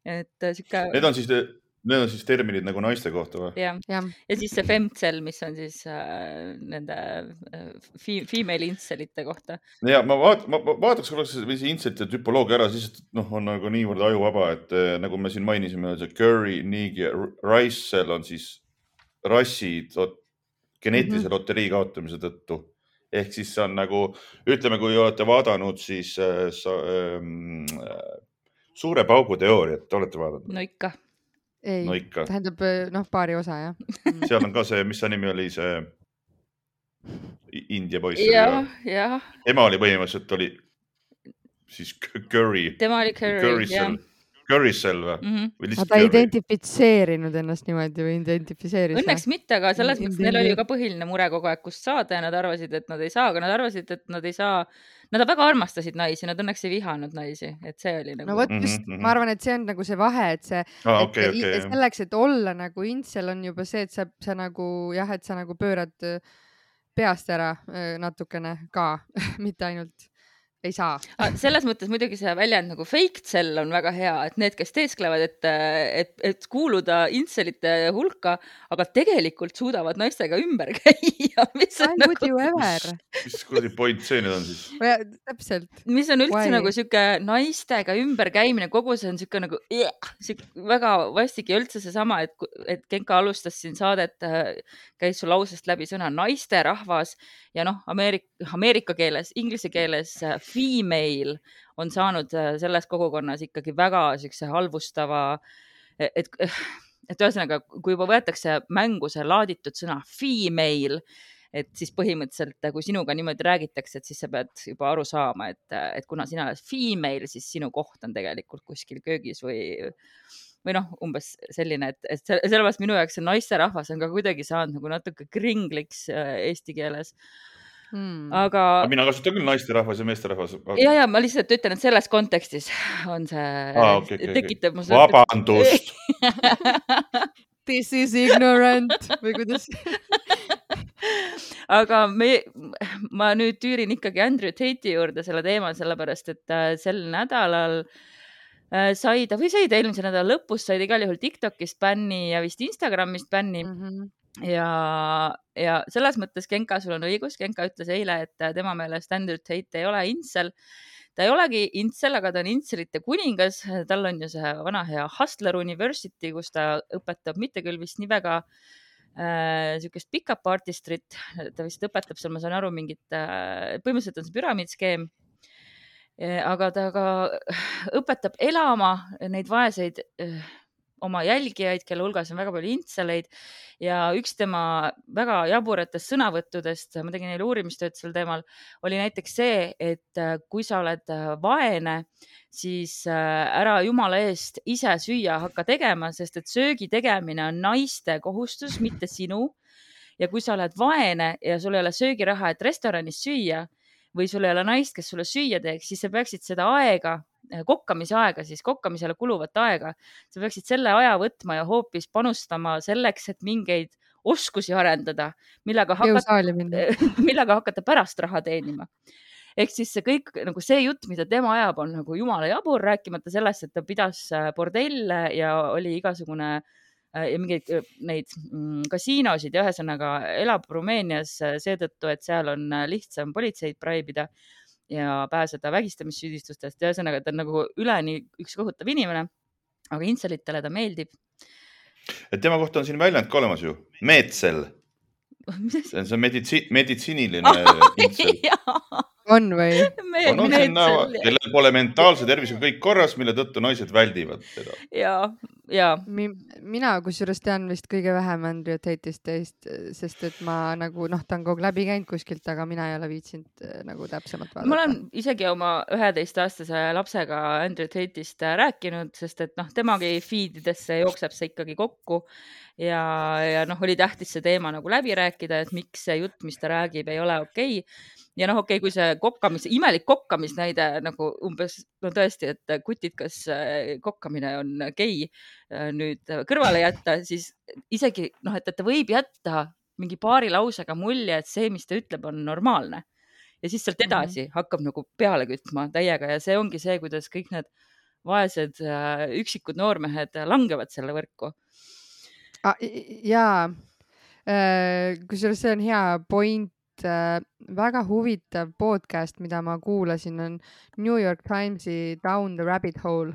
[SPEAKER 1] Et sika...
[SPEAKER 3] Need on siis... Need on siis terminid nagu naiste kohta või?
[SPEAKER 1] Ja. ja. ja siis see femcell, mis on siis äh, nende äh, female incelite kohta.
[SPEAKER 3] Ja ma, vaat, ma vaataks korraks see incelite tüpoloogia ära, siis noh, on nagu niivõrd ajuvaba, et äh, nagu me siin mainisime, see Curry, Nig ja Rice cell on siis rassid geneetilise mm-hmm. loterii kaotamise tõttu. Ehk siis see on nagu, ütleme, kui olete vaadanud siis äh, sa, äh, suure paugu teooriat, olete vaadanud?
[SPEAKER 1] No ikka.
[SPEAKER 2] Ei,
[SPEAKER 3] no ikka.
[SPEAKER 2] Tähendab, noh, paari osa, jah.
[SPEAKER 3] Seal on ka see, mis nimi oli see India poiss.
[SPEAKER 1] Ja, ja.
[SPEAKER 3] Ema oli põhimõtteliselt oli siis Curry.
[SPEAKER 1] Tema oli Curry,
[SPEAKER 3] Curry jah. Curry cell või?
[SPEAKER 2] Mm-hmm. Aga ta ei identifitseerinud ennast niimoodi või identifiseeris?
[SPEAKER 1] Õnneks mitte, aga selles mõttes neil oli ju ka põhiline mure kogu aeg, kust saada ja nad arvasid, et nad ei saa, aga nad arvasid, et nad ei saa. Nad väga armastasid naisi, nad õnneks ei vihanud naisi, et see oli nagu...
[SPEAKER 2] No võt, just, mm-hmm. ma arvan, et see on nagu see vahe, et see,
[SPEAKER 3] ah,
[SPEAKER 2] et
[SPEAKER 3] okay, okay,
[SPEAKER 2] selleks, et olla nagu incel on juba see, et sa, sa nagu, jah, et sa nagu pöörad peast ära natukene ka, mitte ainult ei saa.
[SPEAKER 1] Selles mõttes muidugi see väljend nagu fake cell on väga hea, et need, kes teesklevad, et, et, et kuuluda incelite hulka, aga tegelikult suudavad naistega ümber käia. Mis on
[SPEAKER 2] I would you ever?
[SPEAKER 3] Mis kuradi point see nüüd on siis?
[SPEAKER 2] Ja, täpselt.
[SPEAKER 1] Mis on üldse Why? Nagu siuke naistega ümber käimine, kogu see on siuke nagu siuke väga vastik ja üldse see sama, et, et Genka alustas siin saadet, käis su lausest läbi sõna naiste rahvas ja noh, Ameerika, Ameerika keeles, inglise keeles female on saanud selles kogukonnas ikkagi väga siukse halvustava, et, et ühesõnaga, kui juba võetakse mängu see laaditud sõna female, et siis põhimõtteliselt, kui sinuga niimoodi räägitakse, et siis sa pead juba aru saama, et, et kuna sina oled female, siis sinu koht on tegelikult kuskil köögis või, või noh, umbes selline, et, et sellepärast minu jaoks see naiste rahvas on ka kuidagi saanud nagu natuke kringliks eesti keeles.
[SPEAKER 2] Hmm.
[SPEAKER 1] aga
[SPEAKER 3] mina kasutan küll naisterahvas ja meesterahvas.
[SPEAKER 1] ja, ja ma lihtsalt ütlen, et selles kontekstis on see
[SPEAKER 3] ah, okay, okay,
[SPEAKER 1] tekitab
[SPEAKER 3] okay. Vabandust.
[SPEAKER 2] This is ignorant või kuidas?
[SPEAKER 1] aga me, ma nüüd tüürin ikkagi Andrew Tate'i juurde selle teema, sellepärast et sel nädalal sai ta või sai ta eelmise nädala lõpus, sai ta igal juhul TikTokist bänni ja vist Instagramist bänni. Mm -hmm. ja, ja selles mõttes Genka, sul on õigus. Genka ütles eile, et tema meelest Andrew Tate ei ole intsel. Ta ei olegi intsel, aga ta on intselite kuningas. Tal on ju see vana hea Hustler University, kus ta õpetab mitte küll vist nii väga äh, sükest pick-up artistrit. Ta vist õpetab seal, ma saan aru, mingit, äh, põhimõtteliselt on see püramiidskeem. Aga ta ka õpetab elama neid vaeseid äh, oma jälgijaid, kelle hulgas on väga palju intseleid ja üks tema väga jaburatest sõnavõttudest, ma tegin neile uurimistööd sel teemal, oli näiteks see, et kui sa oled vaene, siis ära jumala eest ise süüa hakka tegema, sest et söögi tegemine on naiste kohustus, mitte sinu. Ja kui sa oled vaene ja sul ei ole söögiraha, et restoranis süüa või sul ei ole naist, kes sulle süüa teeks, siis sa peaksid seda aega, kokkamise aega, siis kokkamisele kuluvat aega. Sa peaksid selle aja võtma ja hoopis panustama selleks, et mingeid oskusi arendada, millega hakata, millega hakata pärast raha teenima. Ehk siis see kõik, nagu see jutt, mida tema ajab, on nagu jumala jabur, rääkimata sellest, et ta pidas bordelle ja oli igasugune ja mingeid neid kasiinosid ja ühesõnaga elab Rumeenias seetõttu, et seal on lihtsam politseid praibida ja pääseda vägistamissüüdistustest. Ja ühesõnaga, ta on nagu üleni üks kohutav inimene, aga intselitele ta meeldib.
[SPEAKER 3] Et tema kohta on siin väljend ka olemas ju. Meetsel. See on see meditsi, meditsiiniline intsel.
[SPEAKER 2] On või?
[SPEAKER 3] On, on see näo, kellel pole mentaalse tervisega kõik korras, mille tõttu naised väldivad teda.
[SPEAKER 1] Ja, ja.
[SPEAKER 2] Mina kusjuures tean vist kõige vähem Andrew Tate'ist teist, sest et ma nagu, noh, ta on kogu läbi käinud kuskilt, aga mina ei ole viitsinud nagu täpsemalt vaadata.
[SPEAKER 1] Ma olen isegi oma üheteistaastase lapsega Andrew Tate'ist rääkinud, sest et noh, temagi feedidesse jookseb see ikkagi kokku ja, ja noh, oli tähtis see teema nagu läbi rääkida, et miks see jutt, mis ta räägib, ei ole okei. Ja noh, okei, kui see kokkamis, imelik kokkamisnäide nagu umbes, no tõesti, et kutid, kas kokkamine on gei nüüd kõrvale jätta, siis isegi noh, et ta võib jätta mingi paari lausega mulje, et see, mis ta ütleb, on normaalne. Ja siis sealt edasi mm-hmm. hakkab nagu peale kütma täiega ja see ongi see, kuidas kõik need vaesed üksikud noormehed langevad selle võrku.
[SPEAKER 2] Ah, jaa, kusjuures see on hea point. Väga huvitav podcast, mida ma kuulasin, on New York Timesi Down the Rabbit Hole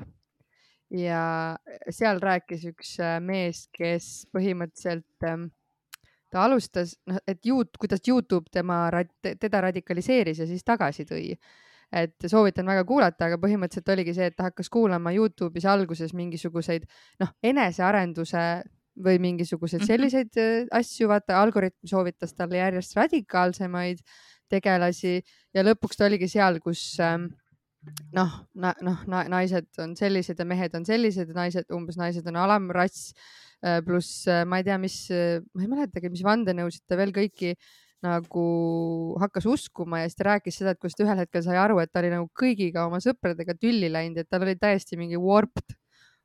[SPEAKER 2] ja seal rääkis üks mees, kes põhimõtteliselt ta alustas, et juut, kuidas YouTube tema, teda radikaliseeris ja siis tagasi tõi. Et soovitan väga kuulata, aga põhimõtteliselt oligi see, et ta hakkas kuulama YouTube'is alguses mingisuguseid noh, enesearenduse või mingisuguseid selliseid asju, vaata, algoritm soovitas talle järjest radikaalsemaid tegelasi ja lõpuks ta oligi seal, kus noh, na, noh, naised on sellised ja mehed on sellised ja naised, umbes naised on alamrass, pluss ma ei tea, mis, ma ei mäletagi, mis vandenõusid ta veel kõiki nagu hakkas uskuma ja siis ta rääkis seda, et kus ta ühel hetkel sai aru, et ta oli nagu kõigiga oma sõpradega tülli läinud, et tal oli täiesti mingi warped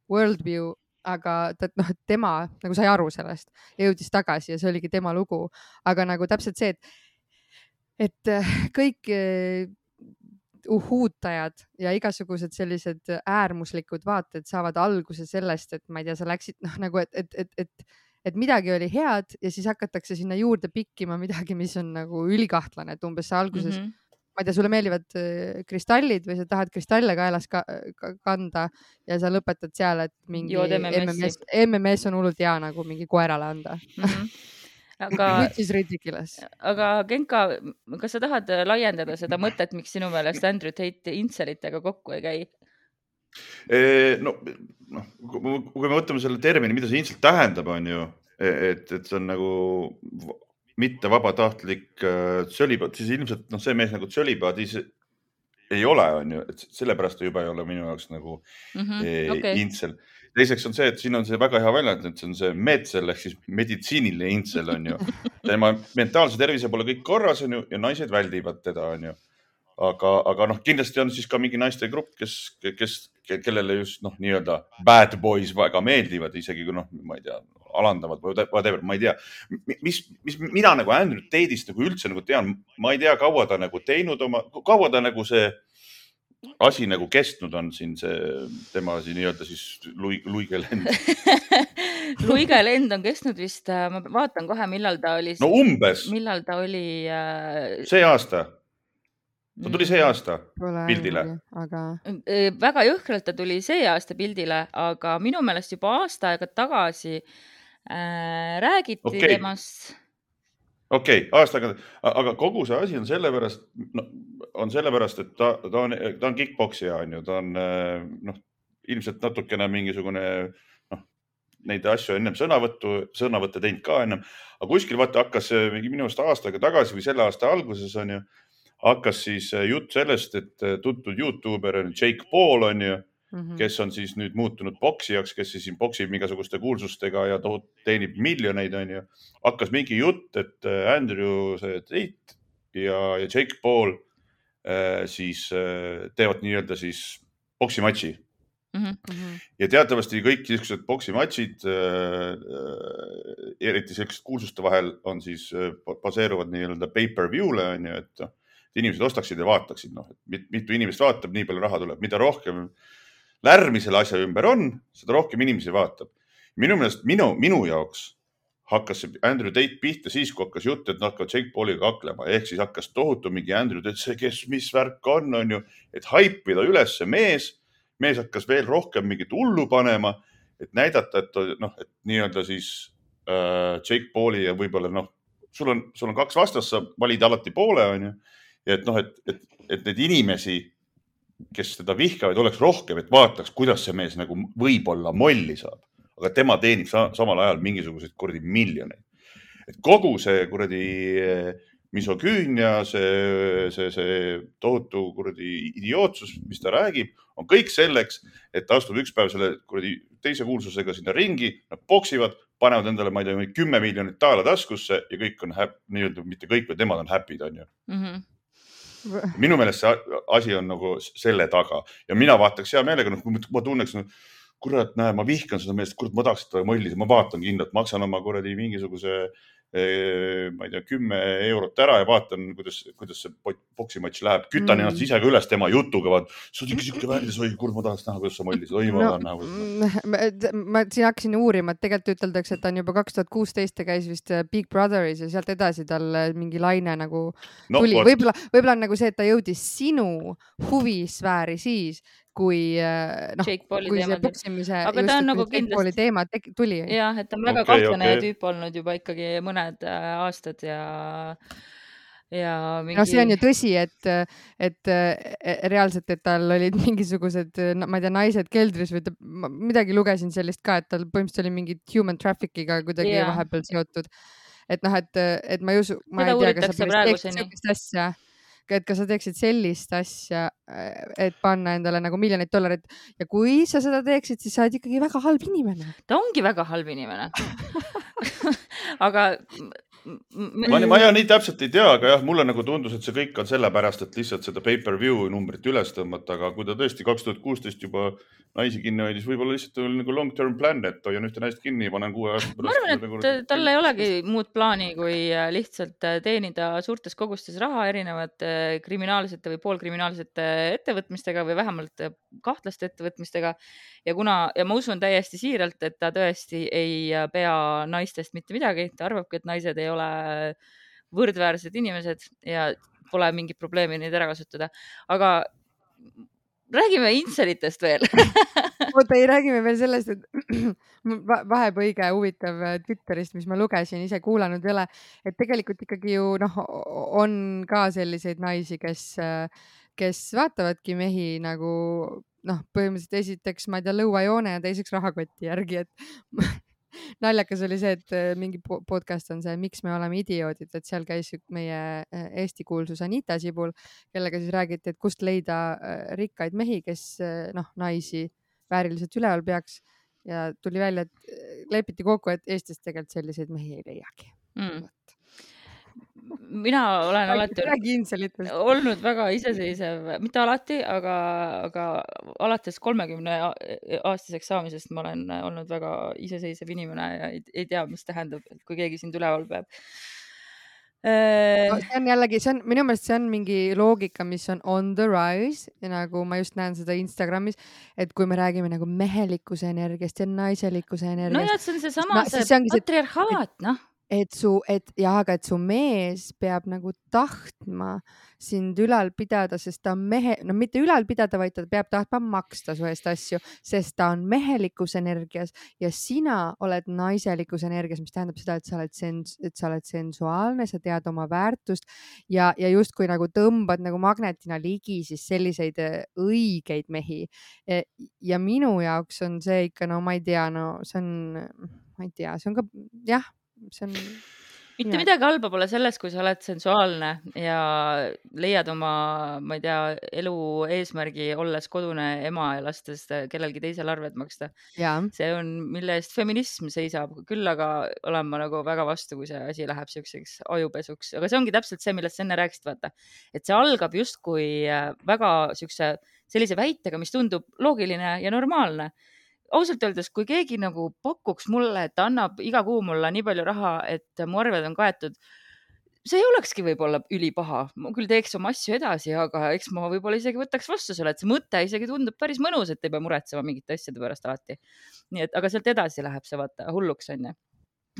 [SPEAKER 2] worldview, aga ta, noh, tema nagu sai aru sellest ja jõudis tagasi ja see oligi tema lugu. Aga nagu täpselt see, et, et kõik uhuutajad ja igasugused sellised äärmuslikud vaated saavad alguse sellest, et ma ei tea, sa läksid noh, nagu, et, et, et, et, et midagi oli head ja siis hakatakse sinna juurde pikkima midagi, mis on nagu ülikahtlane, et umbes sa alguses mm-hmm. ma ei tea, sulle meeldivad kristallid või sa tahad kristalle kaelas ka, ka, kanda ja sa lõpetad seal, et mingi M M S, M M S on hullult hea nagu mingi koerale anda. Mm-hmm. Aga, which is ridiculous.
[SPEAKER 1] Aga Genka, kas sa tahad laiendada seda mõtet, miks sinu meelest Andrew Tate intselitega kokku ei käi?
[SPEAKER 3] No, no, kui me võtame selle termini, mida see intselt tähendab, on ju, et, et see on nagu mitte vabatahtlik tsölibaat, siis ilmselt no, see mees nagu tsölibaadis ei ole, on ju, et sellepärast ta juba ei ole minu jaoks nagu mm-hmm, okay. intsel. teiseks on see, et siin on see väga hea väljend, et see on see medsel ehk siis meditsiiniline intsel on ju. tema mentaalse tervise pole kõik korras on ju ja naised väldivad teda on ju. Aga, aga noh, kindlasti on siis ka mingi naiste grupp, kes, kes, kellele just noh, nii-öelda bad boys väga meeldivad, isegi kui noh, ma ei tea, alandavad või whatever, ma ei tea. Mis, mis mina nagu Andrew Tate'ist nagu üldse nagu tean, ma ei tea, kaua ta nagu teinud oma, kaua ta nagu see asi nagu kestnud on siin see tema siin nii-öelda siis Luige lend.
[SPEAKER 1] Luige lend on kestnud vist, ma vaatan kohe, millal ta oli.
[SPEAKER 3] No umbes.
[SPEAKER 1] Millal ta oli. Äh...
[SPEAKER 3] See aasta. Ta tuli see aasta
[SPEAKER 2] Pole
[SPEAKER 3] pildile.
[SPEAKER 2] Aga...
[SPEAKER 1] Väga jõhkralt ta tuli see aasta pildile, aga minu meelest juba aasta aega tagasi äh, räägiti okay. temast.
[SPEAKER 3] Okei, okay, aastaga, aga kogu see asi on sellepärast, no, on sellepärast, et ta, ta on, ta on kickboksija, on ju, ta on noh, ilmselt natukene mingisugune, noh, neid asju ennem sõnavõttu, sõnavõtte teinud ka ennem, aga kuskil vaata hakkas mingi minu aasta aastaga tagasi või selle aasta alguses on ju, hakkas siis jutt sellest, et tuntud YouTuber on Jake Paul on ju, mm-hmm. kes on siis nüüd muutunud boksijaks, kes siis boksib mingisuguste kuulsustega ja teenib miljoneid on ju. Hakkas mingi jutt, et Andrew Tate ja, ja Jake Paul äh, siis äh, teevad nii-öelda siis boksimatši. Mm-hmm. Ja teatavasti kõik sellised boksimatšid äh, eriti sellised kuulsuste vahel on siis äh, baseeruvad nii-öelda pay-per-view'le on ju, et inimesed ostaksid ja vaataksid, noh, et mitu inimest vaatab, nii palju raha tuleb, mida rohkem lärmi selle asja ümber on, seda rohkem inimesi vaatab. Minu meelest minu, minu jaoks hakkas Andrew Tate pihta siis, kui hakkas jutt, et hakkavad Jake Pauliga kaklema, ehk siis hakkas tohutu mingi Andrew Tate, see, kes, mis värk on, on ju, et haipida üles see mees, mees hakkas veel rohkem mingit hullu panema, et näidata, et, noh, et nii-öelda siis äh, Jake Pauli ja võib-olla, noh, sul on, sul on kaks vastast, sa valid alati poole, on ju. Ja et noh, et, et, et need inimesi, kes teda vihkavad, oleks rohkem, et vaataks, kuidas see mees nagu võib-olla molli saab. Aga tema teenib sa, samal ajal mingisuguseid kuradi miljoneid. Et kogu see kuradi misogüünia, see, see, see tohutu kuradi idiootsus, mis ta räägib, on kõik selleks, et ta astub üks päev selle kuradi teise kuulsusega sinna ringi, nad boksivad, panevad endale, ma ei tea, kümme miljonit taala taskusse ja kõik on häpp, nii-öelda mitte kõik, või temad on häppid, on ju. Mm-hmm. Minu meelest see asi on nagu selle taga ja mina vaataks hea meelega, no, kui ma tunneks, no, kurat, näe, ma vihkan seda meest, kurat, ma tahaks seda mõllida, ma vaatan kindlalt, maksan oma kuradi mingisuguse, ma ei tea, kümme eurot ära ja vaatan, kuidas, kuidas see boksimatš läheb. Kütan mm. ennast ise ka üles tema jutuga, vaat, sa oled ikka siuke värdis, oi, kurat, ma tahaks näha, kuidas sa mollisid, oi, ma no, tahan näha.
[SPEAKER 2] Ma, ma siin hakkasin uurima, et tegelikult üteldakse, et ta on juba kaks tuhat kuusteist ta käis vist Big Brotheris ja sealt edasi tal mingi laine nagu no, tuli. Võib-olla, võib-olla on nagu see, et ta jõudis sinu huvisfääri siis, kui, no, kui see boksimise
[SPEAKER 1] aga ta on nagu kindlasti
[SPEAKER 2] teema tuli.
[SPEAKER 1] Jah, et ta on väga okay, kahtlane okay. tüüp olnud juba ikkagi mõned aastad ja, ja mingi...
[SPEAKER 2] No see on ju tõsi, et, et reaalselt, et tal olid mingisugused, ma ei tea, naised keldris või ta, midagi lugesin sellist ka, et tal põhimõtteliselt oli mingid human traffickiga kuidagi yeah. vahepeal seotud. Et noh, et, et ma ei usu, ma
[SPEAKER 1] Seda
[SPEAKER 2] ei tea, kas sa päris teeksid sellist asja. Et kas sa teeksid sellist asja, et panna endale nagu miljonit dollarit ja kui sa seda teeksid, siis sa oled ikkagi väga halb inimene.
[SPEAKER 1] Ta ongi väga halb inimene. aga
[SPEAKER 3] ma, ma ja nii täpselt ei tea, aga jah, mulle nagu tundus, et see kõik on sellepärast, et lihtsalt seda pay-per-view numbrit üles tõmmata, aga kui ta tõesti kaks tuhat kuusteist juba naisi kinni hoidis, võib-olla lihtsalt oli nagu long-term plan, et hoian ühte naist kinni ja panen kuue aasta
[SPEAKER 1] pärast. Ma arvan, et tal ei olegi muud plaani, kui lihtsalt teenida suurtes kogustes raha erinevate kriminaalsete või poolkriminaalsete ettevõtmistega või vähemalt kahtlaste ettevõtmistega. Ja kuna, ja ma usun täiesti siiralt, et ta tõesti ei pea naistest mitte midagi, ta arvabki, et naised ei ole võrdväärsed inimesed ja pole mingit probleemi neid ära kasutada. Aga räägime intselitest veel.
[SPEAKER 2] Oota, ei räägime veel sellest, et vaheb õige huvitav Twitterist, mis ma lugesin, ise kuulanud ei ole, et tegelikult ikkagi ju noh, on ka selliseid naisi, kes, kes vaatavadki mehi nagu noh, põhimõtteliselt esiteks, ma ei tea, lõuajoone ja teiseks rahakoti järgi, et naljakas oli see, et mingi podcast on see, miks me oleme idioodid, et seal käis meie Eesti kuulsus Anita Sibul, kellega siis räägiti, et kust leida rikkaid mehi, kes noh, naisi vääriliselt üleval peaks ja tuli välja, et lepiti kokku, et Eestis tegelikult selliseid mehi ei leiagi.
[SPEAKER 1] Mm. Mina olen alati olnud väga iseseisev, mitte alati, aga, aga alates kolmekümne aastaseks saamisest ma olen olnud väga iseseisev inimene ja ei, ei tea, mis tähendab, kui keegi sind üleval peab.
[SPEAKER 2] No, see on jällegi, see on, minu meelest see on mingi loogika, mis on on the rise ja nagu ma just näen seda Instagramis, et kui me räägime nagu mehelikkuse energiast ja naiselikkuse energiast.
[SPEAKER 1] No ja, see on see sama, no, see, see patriarhaat, noh.
[SPEAKER 2] Et su, et jah, aga et su mees peab nagu tahtma sind ülal pidada, sest ta on mehe, no mitte ülal pidada, vaid ta peab tahtma maksta su eest asju, sest ta on mehelikus energias ja sina oled naiselikus energias, mis tähendab seda, et sa oled, sens, et sa oled sensuaalne, sa tead oma väärtust ja, ja justkui nagu tõmbad nagu magnetina ligi siis selliseid õigeid mehi. Ja minu jaoks on see ikka, no ma ei tea, no see on, ma ei tea, see on ka, jah, see on
[SPEAKER 1] mitte midagi halba pole selles, kui sa oled sensuaalne ja leiad oma, ma ei tea, elu eesmärgi olles kodune ema ja lastes kellelgi teisel arved maksta.
[SPEAKER 2] Ja.
[SPEAKER 1] See on, mille eest feminism seisab, küll aga olen ma nagu väga vastu, kui see asi läheb siukseks ajupesuks, aga see ongi täpselt see, millest sa enne rääkisid, vaata, et see algab justkui väga siukse sellise väitega, mis tundub loogiline ja normaalne. Ausalt öeldes, kui keegi nagu pakuks mulle, et annab iga kuu mulle nii palju raha, et mu arved on kaetud, see ei olekski võib-olla ülipaha. Ma küll teeks oma asju edasi, aga eks ma võib-olla isegi võtaks vastu selle, et see mõte isegi tundub päris mõnus, et ei pea muretsema mingite asjade pärast alati. Nii et, aga sealt edasi läheb see vaata hulluks on.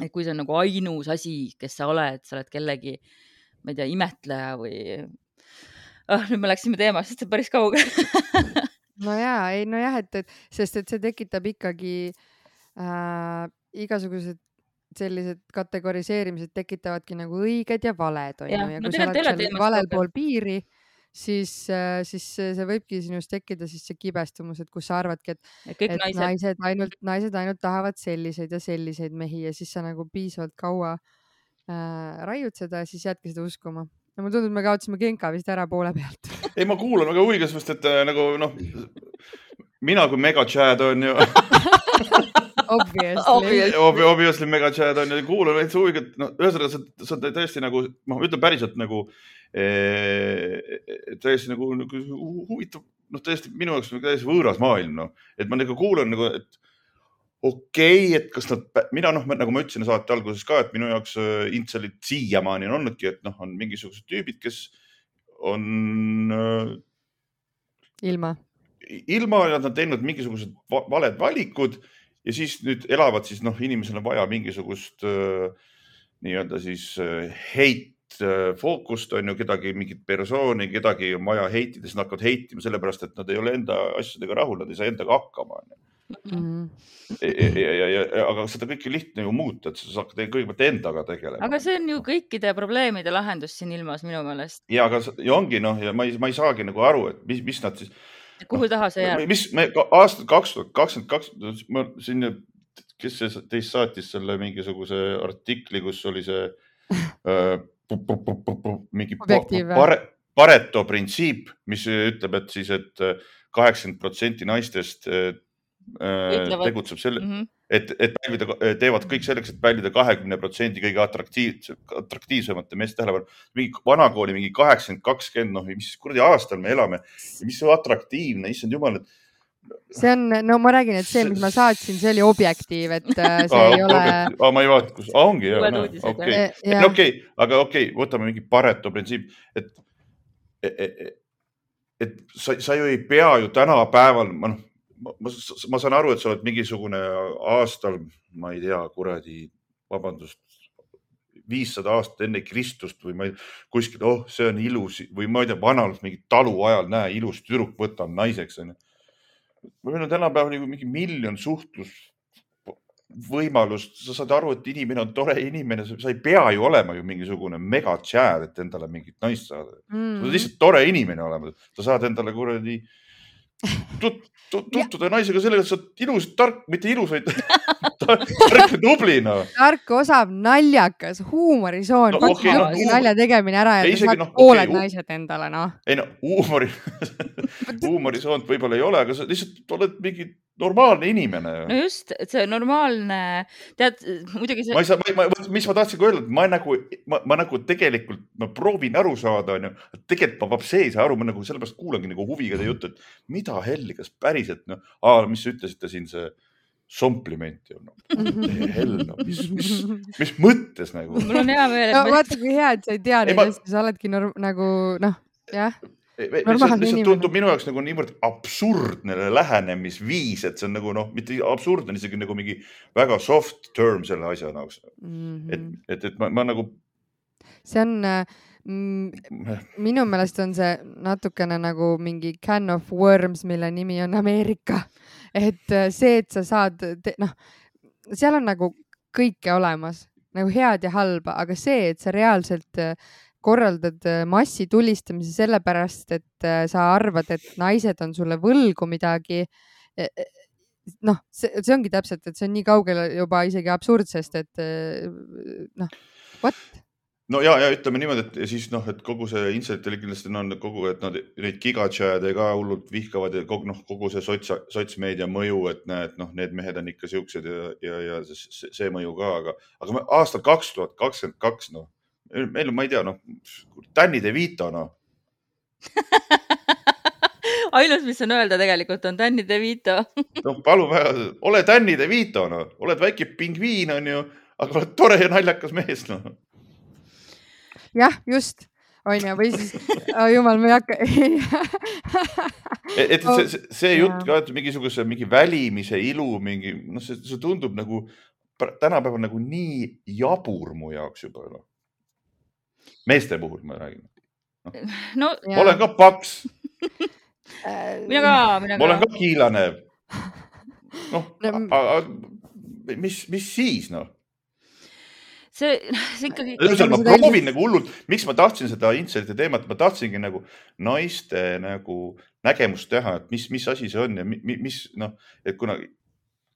[SPEAKER 1] Et kui see on nagu ainus asi, kes sa oled, sa oled kellegi, ma ei tea, imetleja või ah, nüüd me läksime teemast, sest see päris kaugel.
[SPEAKER 2] No jaa, ei, no jah, et, et sest et see tekitab ikkagi äh, igasugused sellised kategoriseerimised tekitavadki nagu õiged ja valed. On
[SPEAKER 1] ja,
[SPEAKER 2] ja
[SPEAKER 1] no
[SPEAKER 2] kui sa oled seal valel pool piiri, siis, äh, siis see võibki sinust tekkida siis see kibestumus, et kus sa arvadki, et, et naised. Naised, ainult, naised ainult tahavad selliseid ja selliseid mehi ja siis sa nagu piisavalt kaua äh, raiud seda ja siis jäädki seda uskuma. Ja mul tundub, et me kaotasime Genka vist ära poole pealt.
[SPEAKER 3] Ei, ma kuulan väga huviga, sest et nagu, noh, mina kui mega Chad on ju.
[SPEAKER 2] Obviously.
[SPEAKER 3] Obviously mega Chad on ju. Kuulan veits huviga, et no, ühesõnaga, sa, sa tõesti nagu, ma ütlen päriselt nagu, ee, tõesti nagu, nagu huvitav, noh, tõesti minu jaoks tõesti võõras maailm, no. Et ma nagu kuulan nagu, et okei, okay, et kas nad, mina noh, nagu ma ütlesin saate alguses ka, et minu jaoks intselit siiamaani on olnudki, et noh, on mingisugused tüübid, kes on
[SPEAKER 2] ilma,
[SPEAKER 3] ilma ja nad on teinud mingisugused valed valikud ja siis nüüd elavad siis noh, inimesel on vaja mingisugust nii-öelda siis heit fookust on ju kedagi, mingit persooni, kedagi on vaja heitida, siis nad hakkavad heitima sellepärast, et nad ei ole enda asjadega rahul, nad ei saa endaga hakkama.
[SPEAKER 2] Mm.
[SPEAKER 3] Ja, ja, ja, ja, aga seda kõike lihtne ju muuta, et sa hakkad kõigepealt endaga tegelema.
[SPEAKER 1] Aga see on ju kõikide probleemide lahendus siin ilmas minu meelest.
[SPEAKER 3] Ja, aga ja ongi noh, ja ma ei, ma ei saagi nagu aru, et mis, mis nad siis...
[SPEAKER 1] Kuhu taha see jääb?
[SPEAKER 3] Mis me aastal kaks tuhat kakskümmend kaks, ma siin, kes see teist saatis selle mingisuguse artikli, kus oli see äh, mingi pare, Pareto printsiip, mis ütleb, et siis, et kaheksakümmend protsenti naistest Ütlevad. tegutseb selle, mm -hmm. et, et pälvida, teevad kõik selleks, et pälvida kahekümne protsendi kõige atraktiivse, atraktiivsemate meeste tähelepanu. Mingi vanakooli mingi kaheksakümmend kakskümmend, noh, mis kuradi aastal me elame ja mis see atraktiivne, issand jumal, et
[SPEAKER 2] see on, no ma räägin, et see, mis ma saatsin, see oli objektiiv, et see ah, ei ole...
[SPEAKER 3] Ah, ma ei vaata, kus... Ah, ongi, jah, no, okei. Okay. Ja. Okay, aga okei, okay, võtame mingi Pareto printsiip, et, et, et, et sa, sa ju ei pea ju tänapäeval, ma noh, Ma, ma saan aru, et sa oled mingisugune aastal, ma ei tea, kuradi, vabandust, viissada aastat enne Kristust või ma ei, kuskil, oh, see on ilus või ma ei tea, vanalt mingi talu ajal, näe, ilus tüdruk võtan naiseks. Meil on tänapäeval mingi miljon suhtlus võimalust. Sa saad aru, et inimene on tore inimene. Sa ei pea ju olema ju mingisugune mega tšääd, et endale mingit naist saada. Mm. Sa saad lihtsalt tore inimene olema. Sa saad endale kuradi tut, tut, tuttuda naisega sellega, et sa oled ilus, tark, mitte ilus, vaid tark ja tubli, no.
[SPEAKER 2] Tark, osav, naljakas, huumorisoon,
[SPEAKER 3] No,
[SPEAKER 2] pakki
[SPEAKER 3] okei, no,
[SPEAKER 2] okay,
[SPEAKER 3] huumor-
[SPEAKER 2] nalja tegemine ära ja
[SPEAKER 3] Ei,
[SPEAKER 2] ta
[SPEAKER 3] isegi,
[SPEAKER 2] saad
[SPEAKER 3] noh,
[SPEAKER 2] pooled
[SPEAKER 3] okei, hu-
[SPEAKER 2] naised endale, noh.
[SPEAKER 3] Ei no, huumori, huumorisoont võib-olla ei ole, aga sa lihtsalt oled mingi normaalne inimene.
[SPEAKER 1] no just, et see normaalne, tead, muidugi see...
[SPEAKER 3] Ma ei saa, ma, ma, mis ma tahtsin öelda, et ma nagu, ma, ma nagu tegelikult, ma proovin aru saada, on ju, et tegelikult ma vapsi ei saa aru, ma nagu sellepärast kuulangi nagu huviga teie juttu, et mida helli, kas päriselt, no, aa, mis ütlesite siin see sompliment ju, no, hell, no, mis, mis, mis mõttes nagu?
[SPEAKER 1] Mul on hea meel, et
[SPEAKER 2] no
[SPEAKER 1] me...
[SPEAKER 2] vaata, kui hea, et sa ei tea neid
[SPEAKER 3] ma...
[SPEAKER 2] asju, sa oledki norm, nagu, noh, jah.
[SPEAKER 3] Lihtsalt, lihtsalt tundub minu jaoks nagu niivõrd absurdne lähenemisviis, et see on nagu, noh, mitte absurdne, isegi nagu mingi väga soft term selle asja jaoks. Mm-hmm. Et, et, et ma, ma nagu...
[SPEAKER 2] See on, mm, minu meelest on see natukene nagu mingi can of worms, mille nimi on Ameerika. Et see, et sa saad, noh, seal on nagu kõike olemas, nagu head ja halba, aga see, et sa reaalselt korraldad massi tulistamise sellepärast, et sa arvad, et naised on sulle võlgu midagi. Noh, see, see ongi täpselt, et see on nii kaugel juba isegi absurdsest, et noh, what?
[SPEAKER 3] No ja, ja ütleme niimoodi, et siis noh, et kogu see intsidentil kindlasti on kogu, et nad neid gigatšääde ka hullult vihkavad ja kogu, noh, kogu see sots, sotsmeedia mõju, et näed, noh, need mehed on ikka siuksed ja, ja, ja see, see mõju ka, aga, aga me aastal kaks tuhat kakskümmend kaks, noh, meil on, ma ei tea, noh, Danny DeVito, noh.
[SPEAKER 1] Ainus, mis on öelda tegelikult, on Danny DeVito.
[SPEAKER 3] No palun väga, ole Danny DeVito, noh. Oled väike pingviin, on ju, aga oled tore ja naljakas mees, noh.
[SPEAKER 2] Jah, just. On ju, või siis, oh, jumal, me ei hakka.
[SPEAKER 3] et, et see, see, see jutt ka, et mingisuguse mingi välimise ilu, mingi, noh, see, see tundub nagu tänapäeval nagu nii jabur mu jaoks juba, noh. Meeste puhul ma räägin.
[SPEAKER 1] No,
[SPEAKER 3] ma olen ka paks.
[SPEAKER 1] mina ka, mina ka.
[SPEAKER 3] Ma olen ka kiilane. Noh, aga mis, mis siis, noh?
[SPEAKER 1] See, see ikkagi...
[SPEAKER 3] Ma proovin nagu hullult, miks ma tahtsin seda intserti teemat, ma tahtsingi nagu naiste nagu nägemust teha, et mis, mis asi see on ja mis, noh, et kuna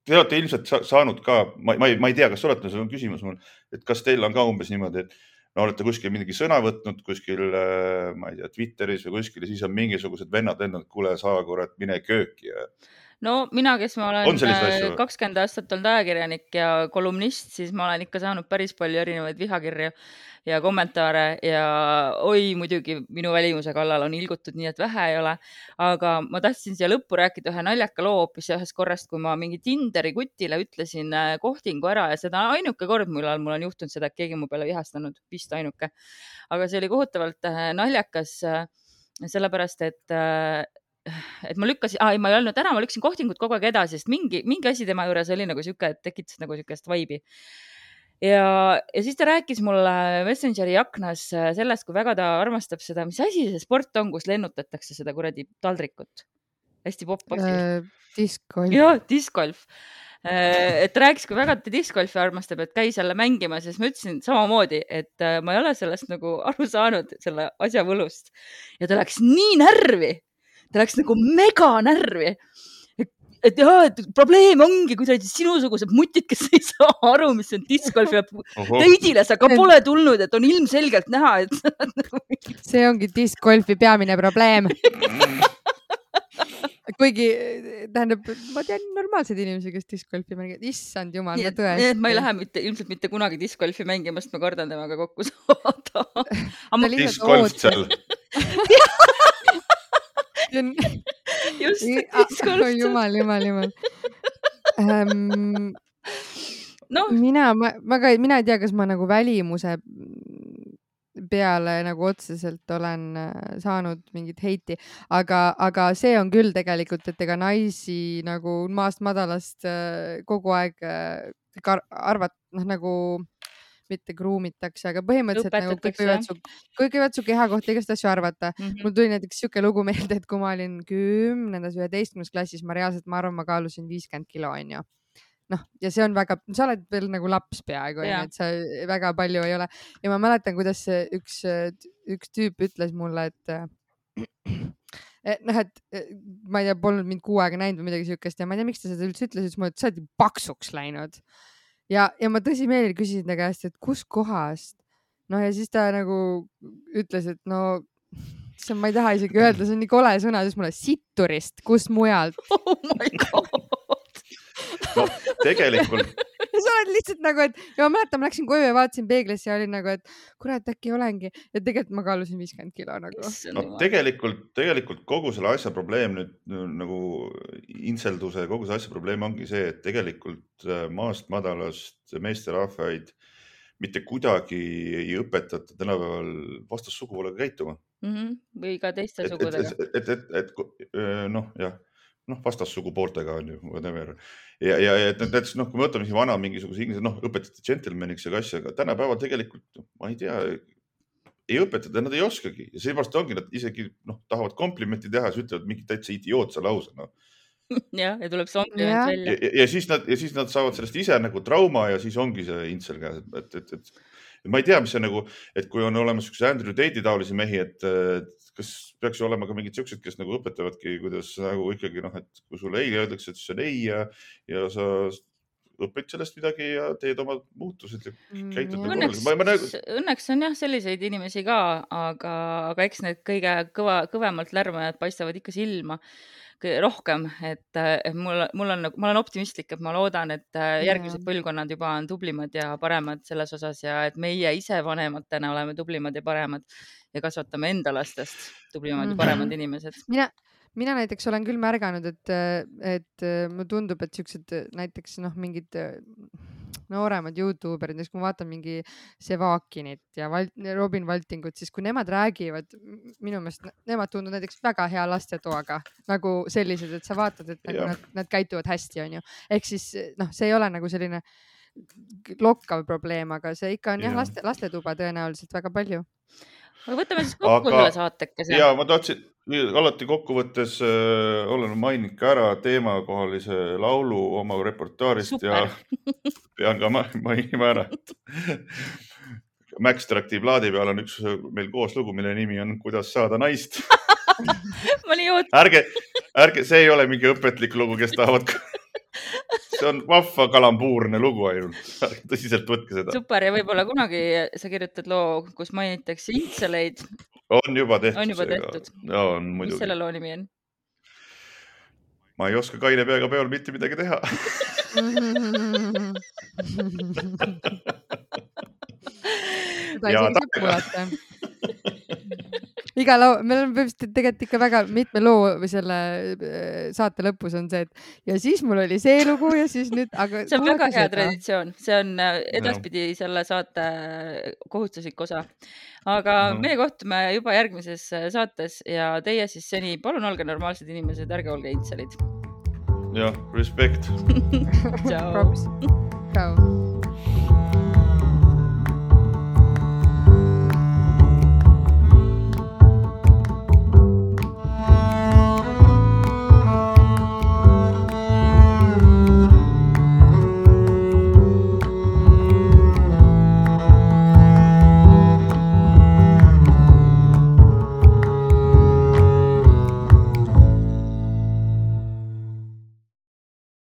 [SPEAKER 3] te olete ilmselt saanud ka, ma, ma, ei, ma ei tea, kas olete, see on küsimus mul, et kas teil on ka umbes niimoodi, et no olete kuskil mingi sõna võtnud kuskil, ma ei tea, Twitteris või kuskil ja siis on mingisugused vennad lendanud, kuule, saa kurat, mine kööki. Ja...
[SPEAKER 1] No mina, kes ma olen kakskümmend aastat olnud ajakirjanik ja kolumnist, siis ma olen ikka saanud päris palju erinevaid vihakirju ja kommentaare ja oi, muidugi minu välimuse kallal on ilgutud nii, et vähe ei ole. Aga ma tahtsin siia lõppu rääkida ühe naljaka loo hoopis ühest korrast, kui ma mingi Tinderi kutile ütlesin kohtingu ära ja seda ainuke kord, millal mul on juhtunud seda, et keegi mu peale vihastanud, vist ainuke. Aga see oli kohutavalt naljakas sellepärast, et et ma lükkasin, aa, ei, ma ei olnud ära, ma lükkasin kohtingut kogu aeg edasi, sest mingi, mingi asi tema juures oli nagu siuke, et tekitas nagu siukest vaibi. Ja, ja siis ta rääkis mulle Messengeri aknas sellest, kui väga ta armastab seda, mis asi see sport on, kus lennutatakse seda kuradi taldrikut. Hästi popp asi.
[SPEAKER 2] Uh, discgolf.
[SPEAKER 1] Jah, discgolf. Et rääkis, kui väga ta discgolfi armastab, et käi selle mängima, siis ma ütlesin samamoodi, et ma ei ole sellest nagu aru saanud selle asja võlust. Ja ta läks nii närvi. Ta läks nagu mega närvi. Et, et jah, et probleem ongi kuidagi sinusugused mutid, kes ei saa aru, mis on discgolf ja teidile sa ka pole tulnud, et on ilmselgelt näha, et...
[SPEAKER 2] See ongi discgolfi peamine probleem. Kuigi, tähendab, ma tean normaalseid inimesi, kes discgolfi mängivad. Issand jumal, ma tõesti.
[SPEAKER 1] Ma ei lähe mitte, ilmselt mitte kunagi discgolfi mängima, sest ma kardan temaga kokku saada.
[SPEAKER 3] Discgolf seal.
[SPEAKER 1] Just,
[SPEAKER 2] oh, jumal, jumal, jumal. Um, no. Mina, ma, ma ka, mina ei tea, kas ma nagu välimuse peale nagu otseselt olen saanud mingit heiti, aga, aga see on küll tegelikult, et ega naisi nagu maast madalast kogu aeg arvat, noh nagu mitte kruumitakse, aga põhimõtteliselt nagu kõik võivad su, kõik võivad su keha kohta igast asju arvata. Mm-hmm. Mul tuli näiteks siuke lugu meelde, et kui ma olin kümnendas, üheteistkümnes klassis, ma reaalselt, ma arvan, ma kaalusin viiskümmend kilo, on ju. Noh, ja see on väga, sa oled veel nagu laps peaaegu, et sa väga palju ei ole. Ja ma mäletan, kuidas üks, üks tüüp ütles mulle, et noh, et ma ei tea, polnud mind kuu aega näinud või midagi siukest ja ma ei tea, miks ta seda üldse ütles, ütles mulle, et sa oled paksuks läinud. Ja, ja ma tõsimeeli küsisin ta käest, et kus kohast? No ja siis ta nagu ütles, et no see on, ma ei taha isegi öelda, see on nii kole sõna, siis mulle sitturist, kus mujalt.
[SPEAKER 1] Oh my god.
[SPEAKER 3] No, tegelikult.
[SPEAKER 2] Ja sa oled lihtsalt nagu, et ja ma mäletan, ma läksin koju ja vaatasin peeglisse ja olin nagu, et kurat, äkki olengi. Ja tegelikult ma kaalusin viiskümmend kilo nagu.
[SPEAKER 3] No, tegelikult, tegelikult kogu selle asja probleem nüüd nagu intselduse, kogu see asja probleem ongi see, et tegelikult maast madalast meesterahvaid mitte kuidagi ei õpetata tänapäeval vastassugupoolega käituma.
[SPEAKER 1] Mm-hmm. Või ka teiste
[SPEAKER 3] et,
[SPEAKER 1] sugudega.
[SPEAKER 3] Et, et, et, et, et noh, jah, noh, vastassugupooltega on ju, whatever. Ja, ja et näiteks, noh, kui me võtame siin vana mingisuguse inglise, noh, õpetati gentlemaniks ja asja, aga tänapäeval tegelikult, ma ei tea, ei õpetada, nad ei oskagi. Ja seepärast ongi, nad isegi, noh, tahavad komplimenti teha, siis ütlevad mingi täitsa idiootse lause, noh.
[SPEAKER 1] Ja, ja tuleb see kompliment välja.
[SPEAKER 3] Ja, ja, siis nad, ja siis nad saavad sellest ise nagu trauma ja siis ongi see intsel käes. Et, et, et, et ma ei tea, mis see nagu, et kui on olemas üks Andrew Tate'i taolisi mehi, et kas peaks ju olema ka mingid siuksed, kes nagu õpetavadki, kuidas nagu ikkagi, noh, et kui sulle ei öeldakse, et see on ei ja, ja sa õpid sellest midagi ja teed oma muutused ja käitud
[SPEAKER 1] mm, õnneks, nagu nagu... õnneks on jah selliseid inimesi ka, aga, aga eks need kõige kõva, kõvemalt lärmajad paistavad ikka silma rohkem, et mul, mul on, ma olen optimistlik, et ma loodan, et järgmised põlvkonnad juba on tublimad ja paremad selles osas ja et meie ise vanematena oleme tublimad ja paremad ja kasvatame enda lastest tublimad ja paremad inimesed.
[SPEAKER 2] Mina, mina näiteks olen küll märganud, et, et mulle tundub, et siuksed näiteks noh, mingid nooremad YouTuberid, kui ma vaatan mingi Sevakinit ja Val, Robin Valtingut, siis kui nemad räägivad, minu meelest nemad tunduvad näiteks väga hea lastetoaga, nagu sellised, et sa vaatad, et nagu nad, nad käituvad hästi, on ju. Ehk siis noh, see ei ole nagu selline lokkav probleem, aga see ikka on jah, laste, lastetuba tõenäoliselt väga palju.
[SPEAKER 1] Aga võtame siis kokku aga, selle saatekese.
[SPEAKER 3] Ja ma tahtsin alati kokkuvõttes äh, olen maininud ka ära teemakohalise laulu oma reportaarist. Super. Ja pean ka mainima ära, et Max Traktiivlaadi peal on üks meil koos lugu, mille nimi on Kuidas saada naist.
[SPEAKER 1] Ma nii oot...
[SPEAKER 3] ärge, ärge, see ei ole mingi õpetlik lugu, kes tahavad... See on vahva kalambuurne lugu ainult. Tõsiselt võtke seda.
[SPEAKER 1] Super ja võib-olla kunagi sa kirjutad loo, kus mainitakse intseleid.
[SPEAKER 3] On juba tehtud.
[SPEAKER 1] On juba tehtud.
[SPEAKER 3] Ja, on muidugi.
[SPEAKER 1] Mis selle loo nimi on?
[SPEAKER 3] Ma ei oska kaine peaga peol mitte midagi teha.
[SPEAKER 2] Seda ei saagi kuulata. Iga loo, meil on tegelikult ikka väga mitme loo või selle saate lõpus on see, et ja siis mul oli see lugu ja siis nüüd, aga
[SPEAKER 1] see on väga hea traditsioon, see on edaspidi selle saate kohustuslik osa, aga mm-hmm. meie kohtume juba järgmises saates ja teie siis seni, palun olge normaalsed inimesed, ärge olge intselid.
[SPEAKER 3] jah, respekt.
[SPEAKER 1] Ciao.
[SPEAKER 2] Ciao.